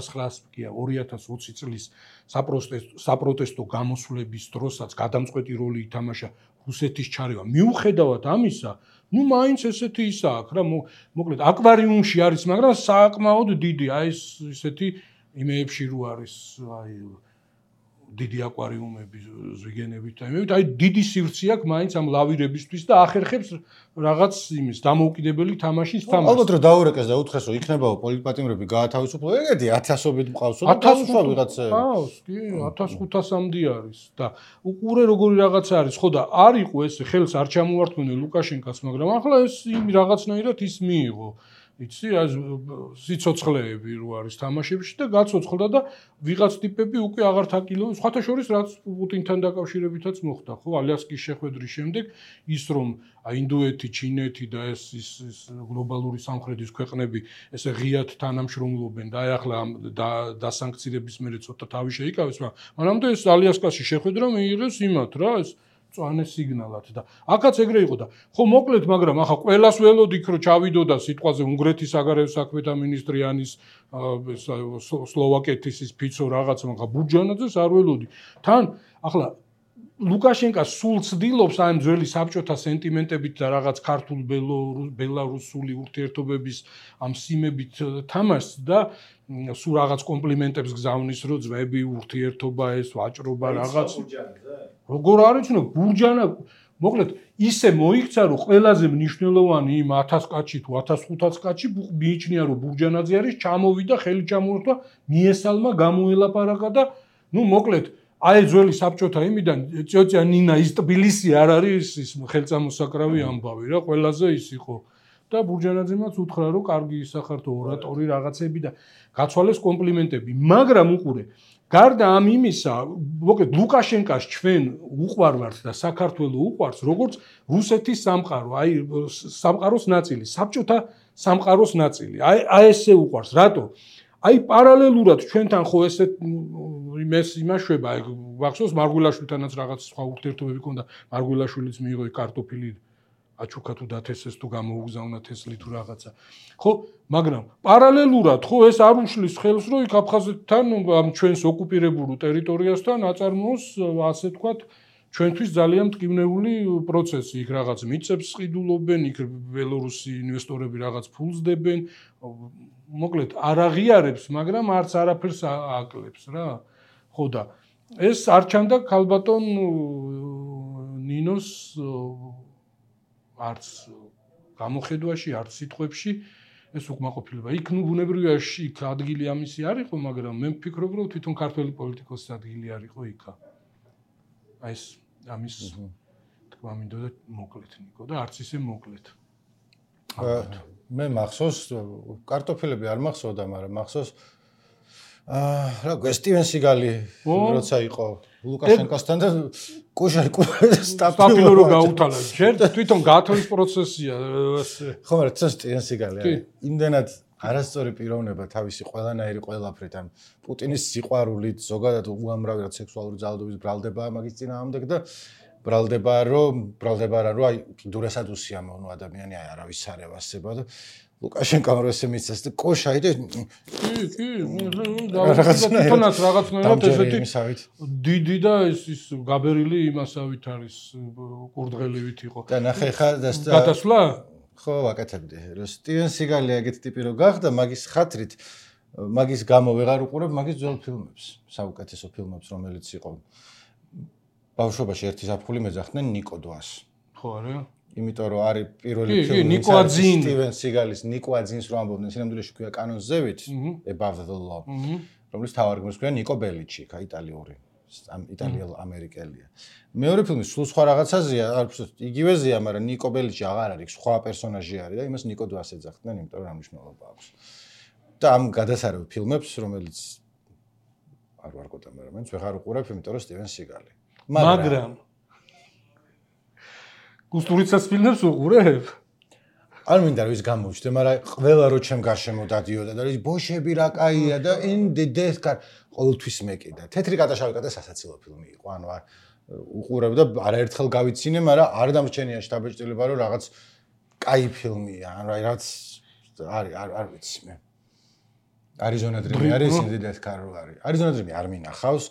ცხრაას კი ორი ათას ოცი წლის საპროტესტო საპროტესტო გამოსვლების დროსაც გადამწყვეტი როლი ითამაშა რუსეთის ჩარევა მიუხედავად ამისა ну მაინც ესეთი ისა აქვს რა მოკლედ აკვარიუმში არის მაგრამ საკმაოდ დიდი აი ეს ესეთი იმეებში რო არის აი დიდი აკვარიუმები ზვიგენებით აი აი დიდი სივრცე აქვს მაინც ამ ლავირებისთვის და ახერხებს რაღაც იმის დამოუკიდებელი თამაშის თამაშს ალბათ რომ დაურეკეს და უთხრეს რომ იქნებაო პოლიტპატიმრები გაათავისუფლო ეგეთი ათასობით მყავსო და ათასვა ვიღაცე ყავს კი ათას ხუთასამდე არის და უყურე როგორი რაღაცა არის ხო და არ იყო ეს ხელს არ ჩამოართმენენ ლუკაშენკას მაგრამ ახლა ეს იმ რაღაცნაირად ის მიიღო იცი აი სიცოცხლეები რო არის თამაშებში და გაცოცხლდა და ვიღაც ტიპები უკვე აღარ თაკილო სხვათა შორის რაც პუტინთან დაკავშირებითაც მოხდა ხო ალიასკის შეხვედრის შემდეგ ის რომ ინდოეთი, ჩინეთი და ეს ის გლობალური სამხრეთის ქვეყნები ესე ღიად თანამშრომლობენ და აი ახლა დასანქცირების მერე ცოტა თავი შეიკავეს მაგრამ მანამდე ეს ალიასკაში შეხვედრა მიიღეს იმათ რა ეს წვანე სიგნალად და აქაც ეგრე იყო და ხო მოკლედ მაგრამ ახლა ყველას ველოდიქ რომ ჩავიდოდა სიტყვაზე უნგრეთის საგარეო საქმეთა მინისტრიანის სლოვაკეთის ის ფიცო რაღაც მაგრამ ბურჯანაძეს არ ველოდი თან ახლა ლუკაშენკა სულ ცდილობს აი ძველი საბჭოთა სენტიმენტებით და რაღაც ქართულ ბელარუსული ურთიერთობების ამ სიმებით თამაშს და სულ რაღაც კომპლიმენტებს გზავნის რომ ძმები ურთიერთობა ეს ვაჭრობა რაღაც როგორ არის ნუ ბურჯანა მოკლედ ისე მოიქცა რომ ყველაზე მნიშვნელოვანი იმ ათას კაცი თუ ათას ხუთას კაცი მიიჩნია რომ ბურჯანაძე არის ჩამოვიდა ხელი ჩამოერთვა მიესალმა გამოელაპარაკა და ნუ მოკლედ აი ძველი საბჭოთა იმიდან ჭოჭა ნინა ის თბილისი არ არის ის ხელწამოსაკრავი ამბავი რა ყველაზე ის იყო და ბურჯანაძემაც უთხრა რომ კარგი ისახართო ორატორი რაღაცები და გაცვალეს კომპლიმენტები მაგრამ უყურე გარდა ამ იმისა მოკლედ ლუკაშენკას ჩვენ უყვარვართ და საქართველოს უყვარს როგორც რუსეთის სამყარო აი სამყაროს ნაწილი საბჭოთა სამყაროს ნაწილი აი აი ესე უყვარს რატო აი პარალელურად ჩვენთან ხო ესეთ იმეს იმაშვება აი ვახსოვს მარგულაშვილთანაც რაღაც სხვა ურთიერთობები ქონდა მარგულაშვილიც მიიღო კარტოფილი აჩუქა თუ დათესეს თუ გამოუგზავნა თესლი თუ რაღაცა ხო მაგრამ პარალელურად ხო ეს არ უშლის ხელს რომ იქ აფხაზეთთან ამ ჩვენს ოკუპირებულ ტერიტორიასთან აწარმოოს ასე თქვათ ჩვენთვის ძალიან მტკივნეული პროცესი იქ რაღაც მიწებს ყიდულობენ იქ ბელორუსი ინვესტორები რაღაც ფულს დებენ მოკლედ არ აღიარებს მაგრამ არც არაფერს აკლებს რა ხო და ეს არ ჩანდა ქალბატონ ნინოს არც გამოხედვაში არც სიტყვებში ეს უკმაყოფილება იქ ნუ ბუნებრივია იქ ადგილი ამისი არ იყო მაგრამ მე ვფიქრობ რომ თვითონ ქართველი პოლიტიკოსის ადგილი არ იყო იქა აი ეს ამის თქვა მინდოდა მოკლედ ნიკო და არც ისე მოკლედ მე მახსოვს კარტოფილები არ მახსოვდა მაგრამ მახსოვს აა რა გქო სტივენ სიგალი როცა იყო ლუკაშენკასთან და კუშარი სტაფილო რო გაუთალა ჯერ თვითონ გათვლის პროცესია ხო მაგრამ ცოტა სტივენ სიგალი არის იმდენად არასწორი პიროვნება თავისი ყველანაირი ყველაფრით ამ პუტინის სიყვარულით ზოგადად უამრავი სექსუალური ძალადობის ბრალდება მაგის წინააღმდეგ და ბრალდება რომ ბრალდება რა რომ აი დურესად უსიამოვნო ადამიანი აი არავის არ ევასება და ლუკაშენკომ რო ესე მისცეს და კოშაი და კი კი რაღაცნაირად რაღაცნაირად ესეთი დიდი და ეს ის გაბერილი იმასავით არის კურდღელივით იყო და ნახე ხა და გადასვლა ხო ვაკეთებდი რომ სტივენ სიგალი ეგეთი ტიპი რო გახდა მაგის ხათრით მაგის გამო ვეღარ უყურებ მაგის ძველ ფილმებს საუკეთესო ფილმებს რომელიც იყო ბავშვობაში ერთი ზაფხული მეძახდნენ ნიკოდვას ხო არა იმიტომ რომ არის პირველი ფილმი სტივენ სიგალის ნიკოაძინს რო ამბობდნენ სინამდვილეში ქვია კანონს ზევით above the law რომლის თავარგმნელს ქვია ნიკო ბელიჩი ხა იტალიური ამ იტალიელ ამერიკელია. მეორე ფილმი სულ სხვა რაღაცაზეა, იგივეზეა, მაგრამ ნიკო ბელიჩი აღარ არის, სხვა პერსონაჟი არის და იმას ნიკო დვას ეძახდნენ, იმიტომ რომ მნიშვნელობა აქვს. და ამ გადასარევ ფილმებს, რომელიც არ ვარ გოთა, მაგრამ მეც ვეღარ უყურებ, იმიტომ რომ სტივენ სიგალი. მაგრამ კუსტურიცას ფილმებს უყურებ? არ მინდა რომ ის გამოჩნდე, მაგრამ ყველა რო ჩემ გარშემო დადიოდა და ის ბოშები რა კაია და in the death car ყოველთვის მეკიდა. თეთრი კატაშავი კატა სასაცილო ფილმი იყო, ანუ არ უყურებ და არაერთხელ გავიცინე, მაგრამ არ დამრჩენია შთაბეჭდილება რომ რაღაც კაი ფილმია, ანუ რაღაც არის არ არ ვიცი მე. Arizona Dream არის in the death car არის. Arizona Dream არ მინახავს,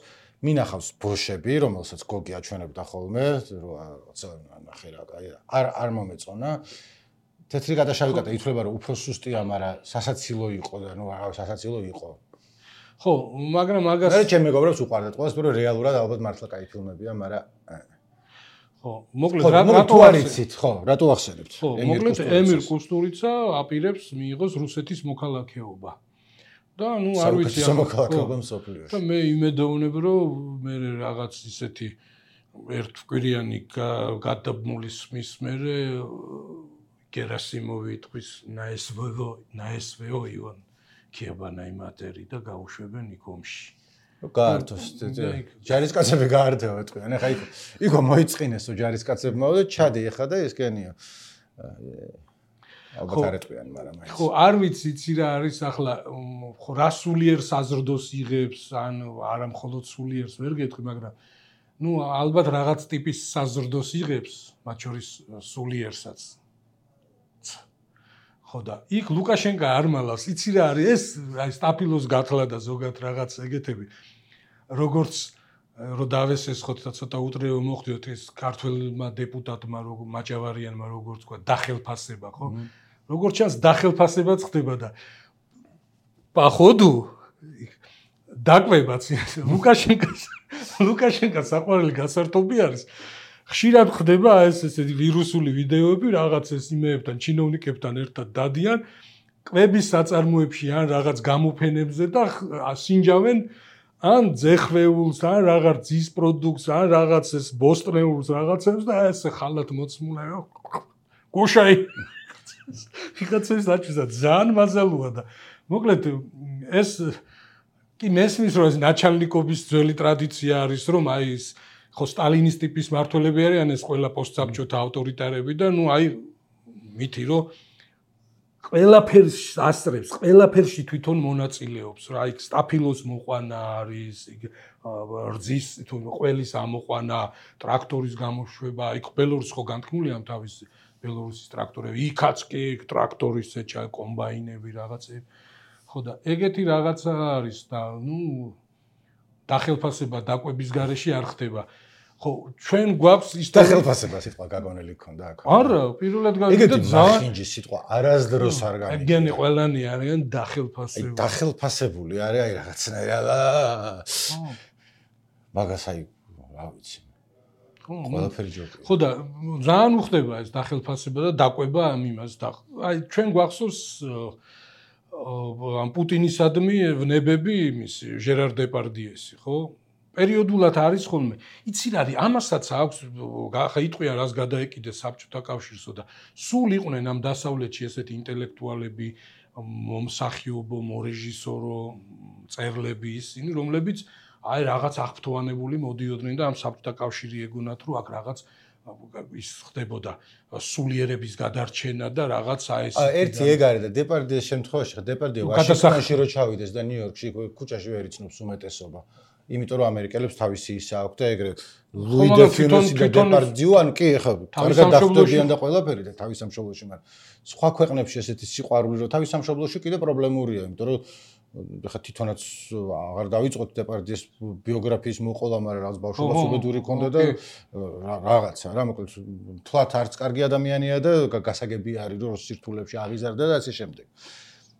მინახავს ბოშები, რომელსაც გოგი აჩვენებდა ხოლმე, როცა ნახე რა კაი არ არ მომეწონა. თეთრი კატაშავი კატა ითვლება რომ უფრო სუსტია, მაგრამ სასაცილო იყო და ნუ აღარ სასაცილო იყო. ხო, მაგრამ მაგას მე ჩემ მეგობრებს უყვარდათ. ყველას პრო რეალურად ალბათ მართლა კაი ფილმებია, მაგრამ ხო, მოკლედ რატო არიცით, ხო, რატო ახსენებთ? ხო, მოკლედ ემირ კუსტურიცა აპირებს მიიღოს რუსეთის მოქალაქეობა. და ნუ არ ვიცი ამ მოქალაქეობა მსოფლიოში. და მე იმედოვნებ რომ მე რაღაც ისეთი ერთკვირიანი გადაბმულის მის მერე გერასიმოვი იტყვის ნაესვეო ნაესვეო ივან ქიაბანაი მატერი და გაუშვებენ იქ ომში. გაართოს ჯარისკაცები გაართეო ეთქვიან. ეხა იქ იქო მოიწყინესო ჯარისკაცებმა და ჩადე ეხა და ესკენიო. ალბათ არ ეტყვიან, მაგრამ აი. ხო, არ ვიცი იცი რა არის ახლა ხო რა სულიერ საზრდოს იღებს, ან არა მხოლოდ სულიერს ვერ გეტყვი, მაგრამ ნუ ალბათ რაღაც ტიპის საზრდოს იღებს, მათ შორის სულიერსაც. ხო და იქ ლუკაშენკა არ მალავს, იცი რა არის ეს, აი სტაფილოს გათლა და ზოგადად რაღაც ეგეთები. როგორც რო დავესესხოთ და ცოტა უტრეო მოხდიოთ ეს ქართველმა დეპუტატმა როგორ მაჭავარიანმა როგორც თქვა დახელფასება, ხო? როგორც ჩანს დახელფასებაც ხდება და походу დაკვებაც ლუკაშენკას ლუკაშენკას საყვარელი გასართობი არის. ხშირად ხდება ეს ესეთი ვირუსული ვიდეოები რაღაც ეს იმეებთან ჩინოვნიკებთან ერთად დადიან კვების საწარმოებში ან რაღაც გამოფენებზე და სინჯავენ ან ძეხვეულს ან რაღაც ძის პროდუქტს ან რაღაც ეს ბოსტნეულს რაღაცებს და ეს ხალათ მოცმულა გუშაი ფიქაცეს აჩვენდა ძალიან მაზალუა და მოკლედ ეს კი მესმის რომ ეს ნაჩალნიკობის ძველი ტრადიცია არის რომ აი ეს ხო სტალინის ტიპის მმართველები არიან ეს ყველა პოსტსაბჭოთა ავტორიტარები და ნუ აი მითი რომ ყველაფერს ასწრებს, ყველაფერში თვითონ მონაწილეობს რა იქ სტაფილოს მოყვანა არის, რძის თუ ყველის ამოყვანა, ტრაქტორის გამოშვება, იქ ბელორუსი ხო განთქმული ამ თავის ბელორუსის ტრაქტორები, იქაც კი ტრაქტორის ეჩა კომბაინები რაღაცები. ხო და ეგეთი რაღაცა არის და ნუ დახელფასება დაკვების გარეშე არ ხდება. ხო, ჩვენ გვაქვს ის დახელფასება სიტყვა გაგონელი გქონდა აქ. არა, პირველად გავიგე და ძალიან ხინჯი სიტყვა არასდროს არ გამიგე. ეგენი ყველანი არიან დახელფასებული. აი დახელფასებული არის აი რაღაცნაირად. მაგას აი რა ვიცი. ყველაფერი ჯობია. ხო და ძალიან უხდება ეს დახელფასება და დაკვება ამ იმას და აი ჩვენ გვახსოვს ამ პუტინისადმი ვნებები იმის ჟერარ დეპარდიესი, ხო? პერიოდულად არის ხოლმე. იცი რა არის, ამასაც აქვს ხა იტყვია რას გადაეკიდეს საბჭოთა კავშირსო და სულ იყვნენ ამ დასავლეთში ესეთი ინტელექტუალები, მომსახიობო, მორეჟისორო, მწერლები ისინი, რომლებიც აი რაღაც აღფრთოვანებული მოდიოდნენ და ამ საბჭოთა კავშირი ეგონათ რომ აქ რაღაც ის ხდებოდა სულიერების გადარჩენა და რაღაც აი ეს ერთი ეგ არის და დეპარდიეს შემთხვევაში ხა დეპარდიე ვაშინგტონში რო ჩავიდეს და ნიუ-იორკში ქუჩაში ვერ იცნობს უმეტესობა. იმიტომ რომ ამერიკელებს თავისი ისა აქვს და ეგრე ლუი დე ფიუნესი და დეპარდიუ ან კი ხა კარგად დახტებიან და ყველაფერი და თავის სამშობლოში, მაგრამ სხვა ქვეყნებში ესეთი სიყვარული რომ თავის სამშობლოში კიდე პრობლემურია, იმიტომ რომ ხა თვითონაც აღარ დავიწყოთ დეპარდიეს ბიოგრაფიის მოყოლა, მაგრამ რაღაც ბავშვობაც უბედური ქონდა და რაღაცა რა, მოკლედ თლათ არც კარგი ადამიანია და გასაგები არის რომ სირთულებში აღიზარდა და ასე შემდეგ.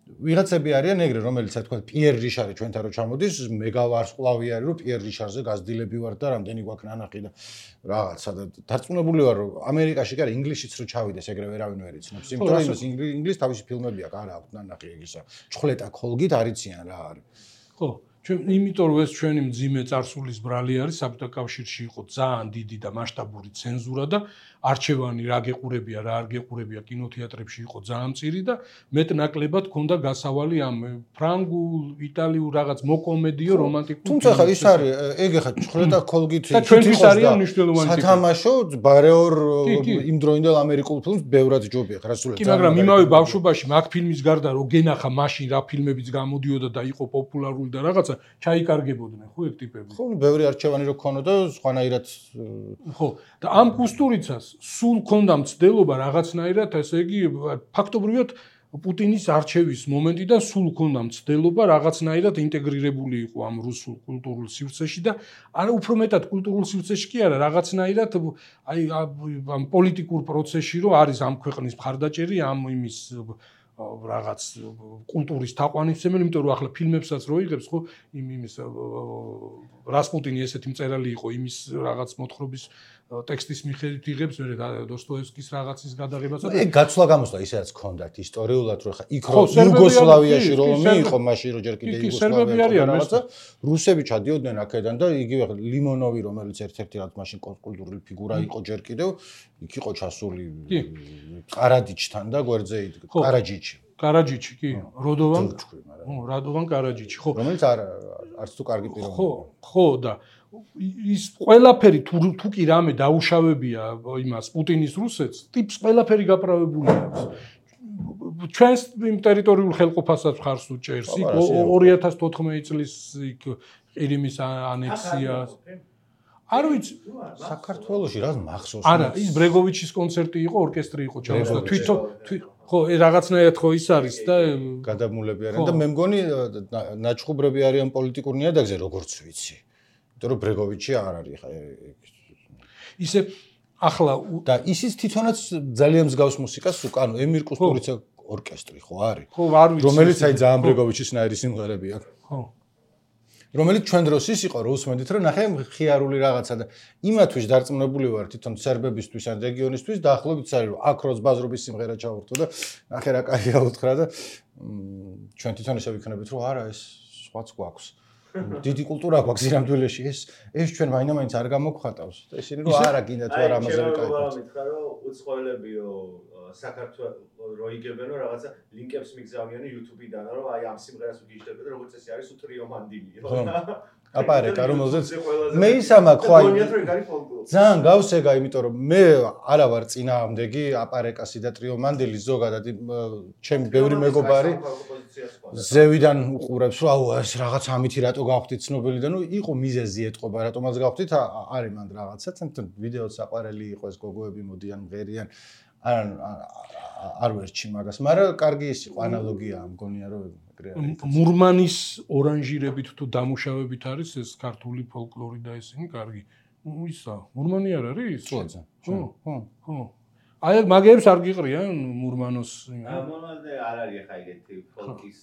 ვიღაცები არიან ეგრე, რომელიც თქვა პიერ რიშარი ჩვენთან რო ჩამოდის, მეგავარსკვლავი არის რომ პიერ რიშარზე გაზრდილები ვარ და რამდენი გვაქვს ნანახი და რაღაცა და დარწმუნებული ვარ რომ ამერიკაში კი არა ინგლისშიც რო ჩავიდეს ეგრე ვერავინ ვერ იცნობს, იმიტომ რომ იმის ინგლისის თავისი ფილმები აქვს, არა აქვს ნანახი ეგისა. ჩხლეტა ქოლგით არიციან რა არის. ხო, ჩვენ იმიტომ რომ ეს ჩვენი მძიმე წარსულის ბრალი არის, საბჭოთა კავშირში იყო ძალიან დიდი და მასშტაბური ცენზურა და არჩევანი რა გეყურებია, რა არ გეყურებია კინოთეატრებში იყო ძალიან მწირი და მეტნაკლებად ჰქონდა გასავალი ამ ფრანგულ, იტალიურ რაღაც მოკომედიო რომანტიკულ. თუმცა ხა ის არის, ეგ ხა ჭხრეთა კოლგით და ჩვენთვის არის მნიშვნელოვანი ტიპი. სათამაშო ბარეორ იმ დროინდელ ამერიკულ ფილმს ბევრად ჯობია, ხა სულ. კი, მაგრამ იმავე ბავშვობაში მაგ ფილმის გარდა რომ გენახა მაშინ რა ფილმებიც გამოდიოდა და იყო პოპულარული და რაღაცა ჩაიკარგებოდნენ ხო ეგ ტიპები. ხო, ბევრი არჩევანი რო ქონოდა, სხვანაირად ხო, და ამ კუსტურიცას სულ ქონდა მცდელობა რაღაცნაირად, ესე იგი ფაქტობრივად პუტინის არჩევის მომენტიდან სულ ქონდა მცდელობა რაღაცნაირად ინტეგრირებული იყო ამ რუსულ კულტურულ სივრცეში და არა უფრო მეტად კულტურულ სივრცეში კი არა, რაღაცნაირად აი ამ პოლიტიკურ პროცესში რო არის ამ ქვეყნის მხარდაჭერი, ამ იმის რაღაც კულტურის თაყვანისმცემელი, იმიტომ რომ ახლა ფილმებსაც რო იღებს, ხო, იმ იმის რასპუტინი ესეთი მწერალი იყო, იმის რაღაც მოთხრობის ტექსტის მიხედვით იღებს, მე დოსტოევსკის რაღაცის გადაღებასაც. ეგ გაცვლა გამოსვლა ისედაც ქონდათ ისტორიულად, რომ ხა იქ რო იუგოსლავიაში რომ მიიღო მაშინ რო ჯერ კიდე იუგოსლავია რაღაცა, რუსები ჩადიოდნენ აქედან და იგივე ლიმონოვი, რომელიც ერთ-ერთი რაც მაშინ კულტურული ფიგურა იყო ჯერ კიდევ, იქ იყო ჩასული ყარაჯიჩთან და გვერდზე იდგა ყარაჯიჩი. ყარაჯიჩი, კი, როდოვან, რადოვან ყარაჯიჩი, ხო. რომელიც არ არც თუ კარგი პიროვნება. ხო, ხო და ის ყველაფერი თუ თუ კი რამე დაუშავებია იმას პუტინის რუსეთს, ტიპს ყველაფერი გაправებული აქვს. ჩვენს იმ ტერიტორიულ ხელყოფასაც ხარს უჭერს. იქ ორი ათას თოთხმეტი წლის იქ ყირიმის ანექსიას. არ ვიცი, საქართველოში რა მახსოვს? არა, ის ბრეგოვიჩის კონცერტი იყო, ორკესტრი იყო ჩამოსვლა. თვითონ ხო, რაღაცნაირად ხო ის არის და გადამულები არიან და მე მგონი ნაჩხუბრები არიან პოლიტიკურ ნიადაგზე, როგორც ვიცი. იმიტომ რომ ბრეგოვიჩი არ არის ხა ისე ახლა და ისიც თვითონაც ძალიან მსგავს მუსიკას უკან ემირ კუსტურიცა ორკესტრი ხო არის? ხო, არ ვიცი. რომელიც აი ძალიან ბრეგოვიჩის ნაირი სიმღერები აქვს. ხო. რომელიც ჩვენ დროს ის იყო, რომ უსმენდით, რომ ნახე ხიარული რაღაცა და იმათვის დარწმუნებული ვარ თვითონ სერბებისთვის ან რეგიონისთვის და ახლობით არის რომ აქ როც ბაზრობის სიმღერა ჩავურთო და ნახე რა კაია უთხრა და ჩვენ თვითონ ისე ვიქნებით, რომ არა ეს სხვაც გვაქვს. დიდი კულტურა გვაქვს ირამდვილეში ეს ეს ჩვენ მაინდა-მაინც არ გამოგხატავს და ისინი რომ არა გინდა თუ არა ამაზე ვიკაიფოთ. აი, მითხრა რომ უცხოელებიო საქართველოს რო იგებენო რაღაცა ლინკებს მიგზავნიან YouTube-დან რომ აი ამ სიმღერას ვიგიჟდებოდა როგორც ესე არის უტრიო მანდილიო. აპარეკა რომელზეც მე ისამაკ ხო აი ძალიან გავსეგა იმიტომ რომ მე არა ვარ წინააღმდეგი აპარეკასი და ტრიო მანდილის ზოგადად ჩემი ბევრი მეგობარი ზევიდან უყურებს რომ აუ ეს რაღაც ამითი რატო გავხდით ცნობილი და ნუ იყო მიზეზი ეტყობა რატომაც გავხდით არის მანდ რაღაცა თვითონ ვიდეოც აყარელი იყო ეს გოგოები მოდიან მღერიან არ არ ვერჩი მაგას მაგრამ კარგი ის იყო ანალოგია მგონია რომ მურმანის ორანჟირებით თუ დამუშავებით არის ეს ქართული ფოლკლორი და ესენი კარგი. ისა, მურმანი არ არის? ხო, ხო, ხო. აი მაგებს არ გიყრიან მურმანოს. ამონალდე არ არის ხა ეგეთი ფოლკის,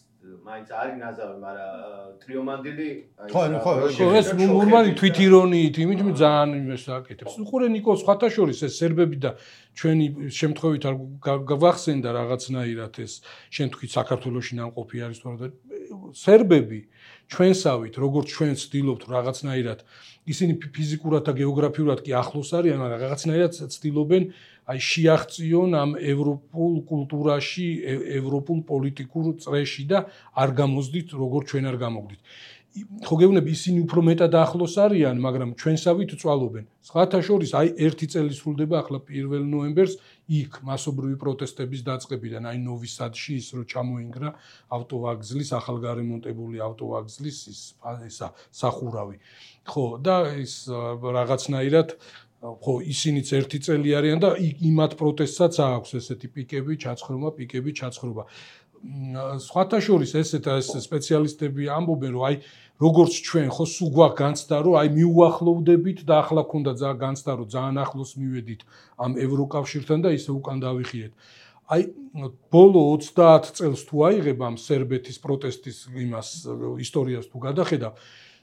მაინც არის ნაზავი, მაგრამ ტრიომანდილი ხო, ხო, ხო, ეს მურმანი თვითირონიით, იმით ძალიან იმას აკეთებს. უყურე ნიკოლ სხვათაშორის ეს სერბები და ჩვენი შემთხვევით არ გავახსენდა რაღაცნაირად ეს შენ თქვი საქართველოში ნამყოფი არის თუ არა სერბები ჩვენსავით როგორც ჩვენ ცდილობთ რაღაცნაირად ისინი ფიზიკურად და გეოგრაფიულად კი ახლოს არიან მაგრამ რაღაცნაირად ცდილობენ აი შეაღწიონ ამ ევროპულ კულტურაში ევროპულ პოლიტიკურ წრეში და არ გამოსდით როგორც ჩვენ არ გამოგდით ხო გეუბნები ისინი უფრო მეტად ახლოს არიან მაგრამ ჩვენსავით წვალობენ სხვათა შორის აი ერთი წელი სრულდება ახლა პირველ ნოემბერს იქ მასობრივი პროტესტების დაწყებიდან აი ნოვი-სადში ის რო ჩამოინგრა ავტოვაგზლის ახალგარემონტებული ავტოვაგზლის ის ესა სახურავი ხო და ის რაღაცნაირად ხო ისინიც ერთი წელი არიან და იმათ პროტესტსაც აქვს ესეთი პიკები ჩაცხრომა პიკები ჩაცხრობა სხვათა შორის ესეთ ეს სპეციალისტები ამბობენ რომ აი როგორც ჩვენ ხო სულ გვაქვს განცდა რომ აი მიუახლოვდებით და ახლა ქონდა ძალიან განცდა რომ ძალიან ახლოს მივედით ამ ევროკავშირთან და ისე უკან დავიხიეთ აი ბოლო ოცდაათ წელს თუ აიღებ ამ სერბეთის პროტესტის იმას ისტორიას თუ გადახედავ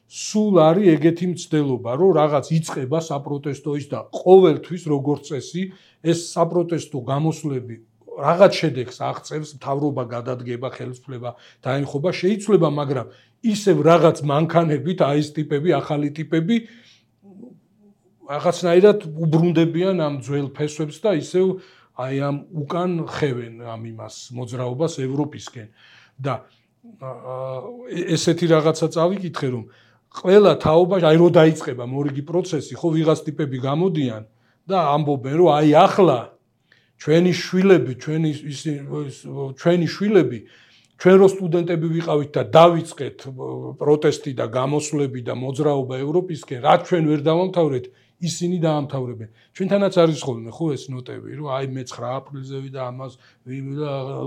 სულ არის ეგეთი მცდელობა რომ რაღაც იწყება საპროტესტო ის და ყოველთვის როგორც წესი ეს საპროტესტო გამოსვლები რაღაც შედეგს აღწევს, მთავრობა გადადგება, ხელისუფლება დაემხობა, შეიცვლება, მაგრამ ისევ რაღაც მანქანებით, აი ეს ტიპები, ახალი ტიპები რაღაცნაირად უბრუნდებიან ამ ძველ ფესვებს და ისევ აი ამ უკან ხევენ ამ იმას მოძრაობას ევროპისკენ და ესეთი რაღაცა წავიკითხე რომ ყველა თაობაში აი რო დაიწყება მორიგი პროცესი, ხო ვიღაც ტიპები გამოდიან და ამბობენ რომ აი ახლა ჩვენი შვილები, ჩვენი ჩვენი შვილები ჩვენ რო სტუდენტები ვიყავით და დავიწყეთ პროტესტი და გამოსვლები და მოძრაობა ევროპისკენ, რაც ჩვენ ვერ დავამთავრეთ, ისინი დაამთავრებენ. ჩვენთანაც არის ხოლმე ხო ეს ნოტები, რომ აი მე ცხრა აპრილზე ვიდა ამას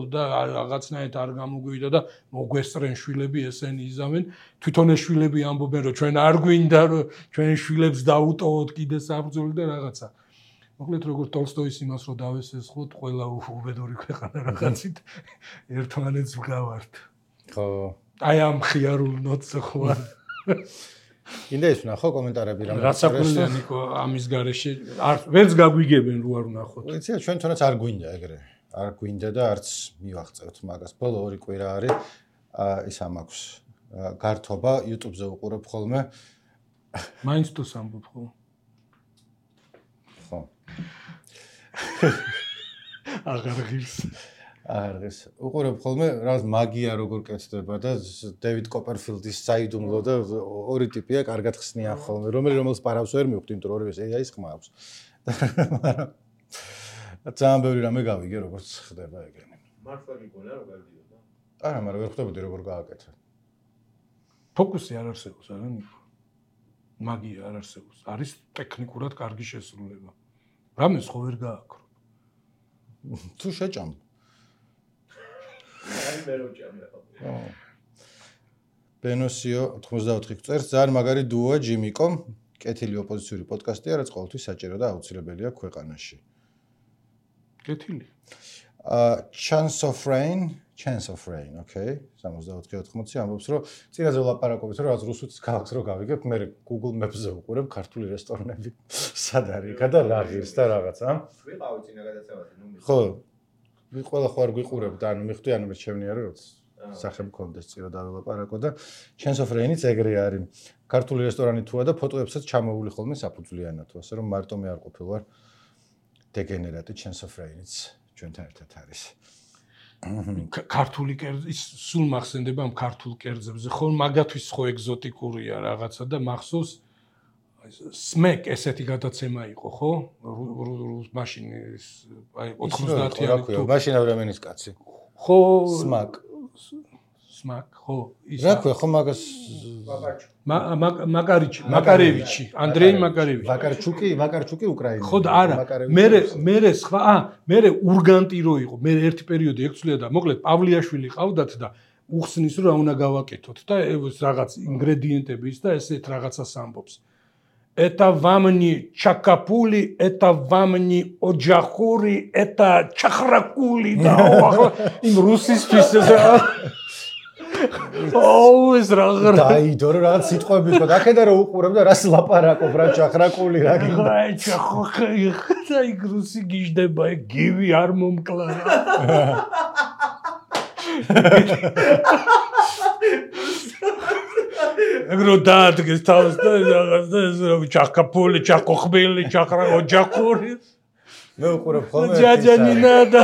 და რაღაცნაირად არ გამოგვივიდა და მოგვესწრენ შვილები ესენი იზამენ. თვითონ ეს შვილები ამბობენ რომ ჩვენ არ გვინდა რომ ჩვენ შვილებს დაუტოვოთ კიდე საბრძოლო და რაღაცა. მოკლედ როგორც ტოლსტოის იმას რომ დავესესხოთ, ყველა უბედური ქვეყანა რაღაცით ერთმანეთს ვგავართ. ხო. აი ამ ხიარულ ნოტზე ხო არ კიდე ის ვნახო კომენტარები რამე. რაცაკვირია ნიკო ამის გარეშე არ ვერც გაგვიგებენ რო არ ვნახოთ. ვიცი ჩვენ თუნდაც არ გვინდა ეგრე. არ გვინდა და არც მივახწევთ მაგას. ბოლო ორი კვირა არის ის ამაქვს გართობა YouTube-ზე უყურებ ხოლმე. მაინც თუ სამბობ ხო? ხო. აღარ ღირს. აღარ ღირს. უყურებ ხოლმე რაღაც მაგია როგორ კეთდება და დევიდ კოპერფილდის საიდუმლო და ორი ტიპია კარგად ხსნიან ხოლმე, რომელი რომელს პარავს ვერ მივხვდი, იმიტომ რომ ორივეს ეი აის ხმა აქვს. მაგრამ ძალიან ბევრი რამე გავიგე როგორც ხდება ეგრე. მართლა გიგონა რომ გავიდიოდა? არა, მაგრამ ვერ ხვდებოდი როგორ გააკეთე. ფოკუსი არ არსებობს, არა ნიკო. მაგია არ არსებობს. არის ტექნიკურად კარგი შესრულება. რამეს ხო ვერ გააკრო. თუ შეჭამ. აი მე რო ჭამე ხო. ბენოსიო ოთხმოცდაოთხი წერს, ძალიან მაგარი დუოა ჯიმიკო, კეთილი ოპოზიციური პოდკასტია, რაც ყოველთვის საჭირო და აუცილებელია ქვეყანაში. კეთილი. Uh, Chance of Rain, Chance of Rain, okay. სამოცდაოთხი ოთხმოცი ამბობს, რომ წინაზე ვლაპარაკობთ, რომ რაც რუსეთის ქალაქს რო გავიგებ, მე Google Maps-ზე ვუყურებ ქართული რესტორნები, სად არის იქა და რა ღირს და რაღაცა. ვიყავი წინა გადაცემაზე, ნუ ხო. ყველა ხო არ გვიყურებ და ანუ მიხვდი, ანუ მე შემნია რომ სახე მქონდეს წირო დავილაპარაკო და Chance of Rain-იც ეგრე არის. ქართული რესტორანი თუა და ფოტოებსაც ჩამოვული ხოლმე საფუძვლიანად, ასე რომ მარტო მე არ ყოფილ ვარ დეგენერატი Chance of Rain-იც ჩვენთან ერთად არის. ქართული კერძი სულ მახსენდება ამ ქართულ კერძებზე, ხო მაგათვის ხო ეგზოტიკურია რაღაცა და მახსოვს სმეკ ესეთი გადაცემა იყო, ხო? მაშინ აი ოთხმოცდაათიანი თუ მაშინ ავრამენის კაცი. ხო სმაკ სმაკ ხო ის რა ქვია ხო მაგას მაკარიჩი მაკარევიჩი ანდრეი მაკარევიჩი ვაკარჩუკი ვაკარჩუკი უკრაინელი ხო და არა მე მე სხვა ა მე ურგანტი რო იყო მე ერთი პერიოდი ექცვლია და მოკლედ პავლიაშვილი ყავდათ და უხსნის რომ რა უნდა გავაკეთოთ და რაღაც ინგრედიენტები ის და ესეთ რაღაცას ამბობს это вам не чакапули, это вам не оджахури, это чахракули да იმ რუსისთვის ოუ ეს რაღაც დაიდო რა რაღაც სიტყვები ხო და ახედა რომ უყურებ და რას ლაპარაკობ რა ჩახრაკული რა გინდა აი ჩახოხი და იქ რუსი გიждდება ეგ გივი არ მომკლა ეგრო დაადგეს თავს და რაღაც და ეს რომ ჩახკაპული ჩახოხბილი ჩახრა ოჯახური მე უყურებ ხოლმე ჯაჯანინა და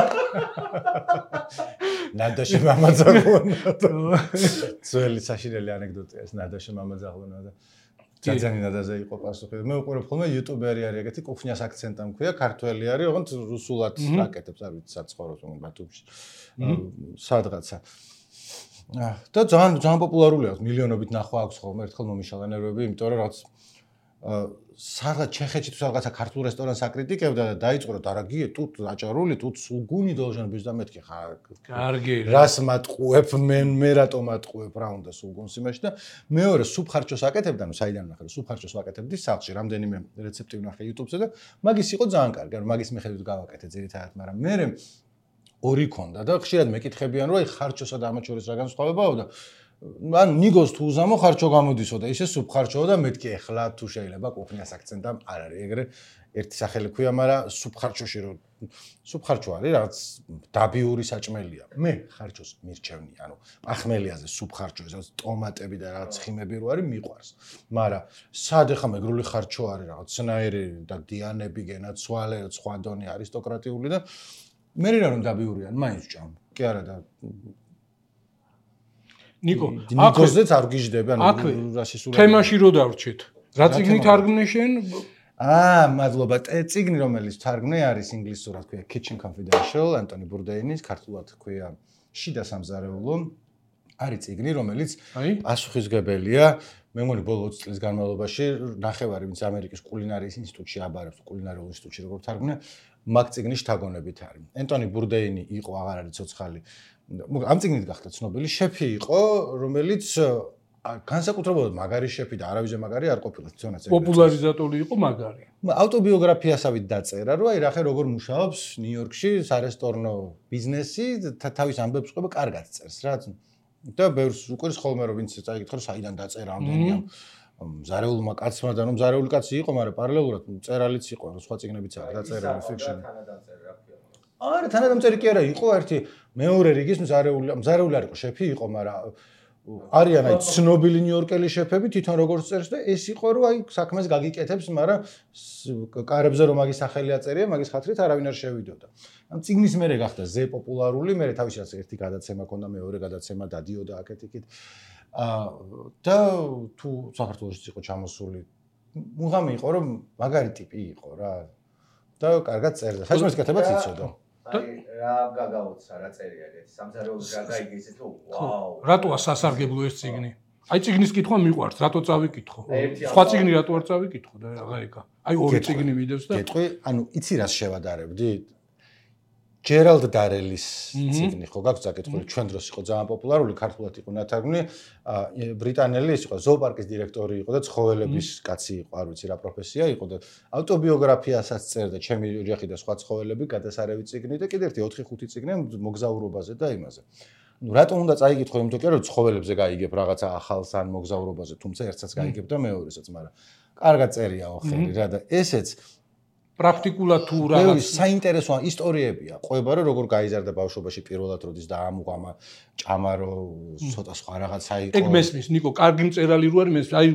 ნადაში მამაძაღლონა ძველი საშინელი ანეკდოტია ეს ნადაში მამაძაღლონა და ჯაჯანინადაზე იყო პასუხი მე უყურებ ხოლმე იუტუბერი არის ეგეთი კუხნიას აქცენტა მქვია ქართველი არის ოღონდ რუსულად აკეთებს არ ვიცი საცხოვროს ბათუმში სადღაცა და ძალიან ძალიან პოპულარულია მილიონობით ნახვა აქვს ხოლმე ერთხელ მომიშალა ნერვები იმიტომ რომ რაც სადღაც ჩეხეთში თუ სადღაცა ქართულ რესტორანს აკრიტიკებდა და დაიწყო რომ დარაგიე тут აჭარული тут სულგუნი должен быть და მეთქი ხა კარგი რას მატყუებ მე მე რატომ მატყუებ რა უნდა სულგუნს იმაში და მეორე სუფხარჩოს აკეთებდა ნუ საიდან ნახე რომ სუფხარჩოს ვაკეთებდი სახლში რამდენიმე რეცეპტი ვნახე YouTube-ზე და მაგის იყო ძალიან კარგი ანუ მაგის მიხედვით გავაკეთე ძირითადად მაგრამ მე ორი ქონდა და ხშირად მეკითხებიან რომ აი ხარჩოსა და ამათ შორის რა განსხვავებაა და ან ნიგოს თუ უზამო ხარჩო გამოდისო და ისე სუფხარჩოა და მეთქი ეხლა თუ შეიძლება კუხნიას აქცენტა არ არის ეგრე ერთი სახელი ქვია მაგრამ სუფხარჩოში რომ სუბხარჯო არის რაღაც დაბიური საჭმელია. მე ხარჯოს მირჩევნი, ანუ პახმელიაზე სუბხარჯო, ეს ტომატები და რაღაც ხიმები რო არის მიყვარს. მაგრამ სად ახლა მეგრული ხარჯო არის რაღაც სნაირი და დიანები გენაცვალე, სხვა დონე არისტოკრატიული და მე რა რომ დაბიურიან, მაინც ჭამ. კი არა და ნიკო, ნიკოზეც არ გიждები, ანუ რასისულები. თემაში რო დავრჩეთ. რა წიგნი თარგმნე შენ? აა, მადლობა. წიგნი რომელიც თარგმნე არის ინგლისურად, ქვია Kitchen Confidential, ანტონი ბურდეინის, ქართულად ქვია შიდა სამზარეულო. არის წიგნი, რომელიც პასუხისგებელია. მე მგონი ბოლო ოცი წლის განმავლობაში ნახევარი ვინც ამერიკის კულინარიის ინსტიტუტში აბარებს, კულინარიულ ინსტიტუტში როგორ თარგმნე, მაგ წიგნის შთაგონებით არის. ანტონი ბურდეინი იყო, აღარ არის ცოცხალი. ამ წიგნით გახდა ცნობილი შეფი იყო, რომელიც განსაკუთრებულად მაგარი შეფი და არავის მაგარი არ ყოფილა თვითონაც. პოპულარიზატორი იყო მაგარი. ავტობიოგრაფიასავით დაწერა, რომ აი რახე როგორ მუშაობს ნიუ-იორკში სარესტორნო ბიზნესი, თავის ამბებს ყვება კარგად წერს რა. და ბევრს უყურს ხოლმე რომ ვინც წაიკითხა რომ საიდან დაწერა ამდენი ამ მზარეულმა კაცმა და რომ მზარეული კაცი იყო, მაგრამ პარალელურად წერალიც იყო, სხვა წიგნებიც არის დაწერილი ფიქშენი. არა, თანადამწერი კი არა, იყო ერთი მეორე რიგის მზარეული, მზარეული არ იყო, შეფი იყო, მაგრამ არიან აი ცნობილი ნიუ-იორკელი შეფები თვითონ როგორც წერს და ეს იყო რომ აი საქმეს გაგიკეთებს, მაგრამ კარებზე რომ მაგის სახელი აწერია, მაგის ხათრით არავინ არ შევიდოდა. ამ წიგნის მერე გახდა ზე პოპულარული, მერე თავისას ერთი გადაცემა ქონდა, მეორე გადაცემა დადიოდა აქეთ-იქით. აა და თუ საქართველოშიც იყო ჩამოსული, მუღამი იყო რომ მაგარი ტიპი იყო რა. და კარგად წერდა. საჭმლის კეთებაც იცოდა. აი რა გაგაოცა რა წერია ეგეთი სამზარეულოს რა გაიგე ისე თუ ვაუ რატოა სასარგებლო ეს წიგნი აი წიგნის კითხვა მიყვარს რატო წავიკითხო სხვა წიგნი რატო არ წავიკითხო და რა ეკა აი ორი წიგნი მიდევს და გეტყვი ანუ იცი რას შევადარებდი ჯერალდ დარელის წიგნი ხო გაქვს საკითხული ჩვენ დროს იყო ძალიან პოპულარული ქართულად იყო ნათარგმნი ბრიტანელი ის იყო ზოოპარკის დირექტორი იყო და ცხოველების კაცი იყო არ ვიცი რა პროფესია იყო და ავტობიოგრაფიასაც წერდა ჩემი ოჯახი და სხვა ცხოველები გადასარევი წიგნი და კიდე ერთი ოთხი ხუთი წიგნი მოგზაურობაზე და იმაზე ну რატომ უნდა წაიკითხო იმიტომ კი რომ ცხოველებზე გაიგებ რაღაცა ახალს ან მოგზაურობაზე თუმცა ერთსაც გაიგებ და მეორესაც მაგრამ კარგად წერია ოხერი რა და ესეც პრაქტიკულად თუ რაღაც საინტერესო ისტორიებია. ყვება რომ როგორ გაიზარდა ბავშვობაში პირველად როდის დაამუყამა ჭამარო ცოტა სხვა რაღაცა იყო. ეგ მესმის ნიკო, კარგი მწერალი რო არის მესმის. აი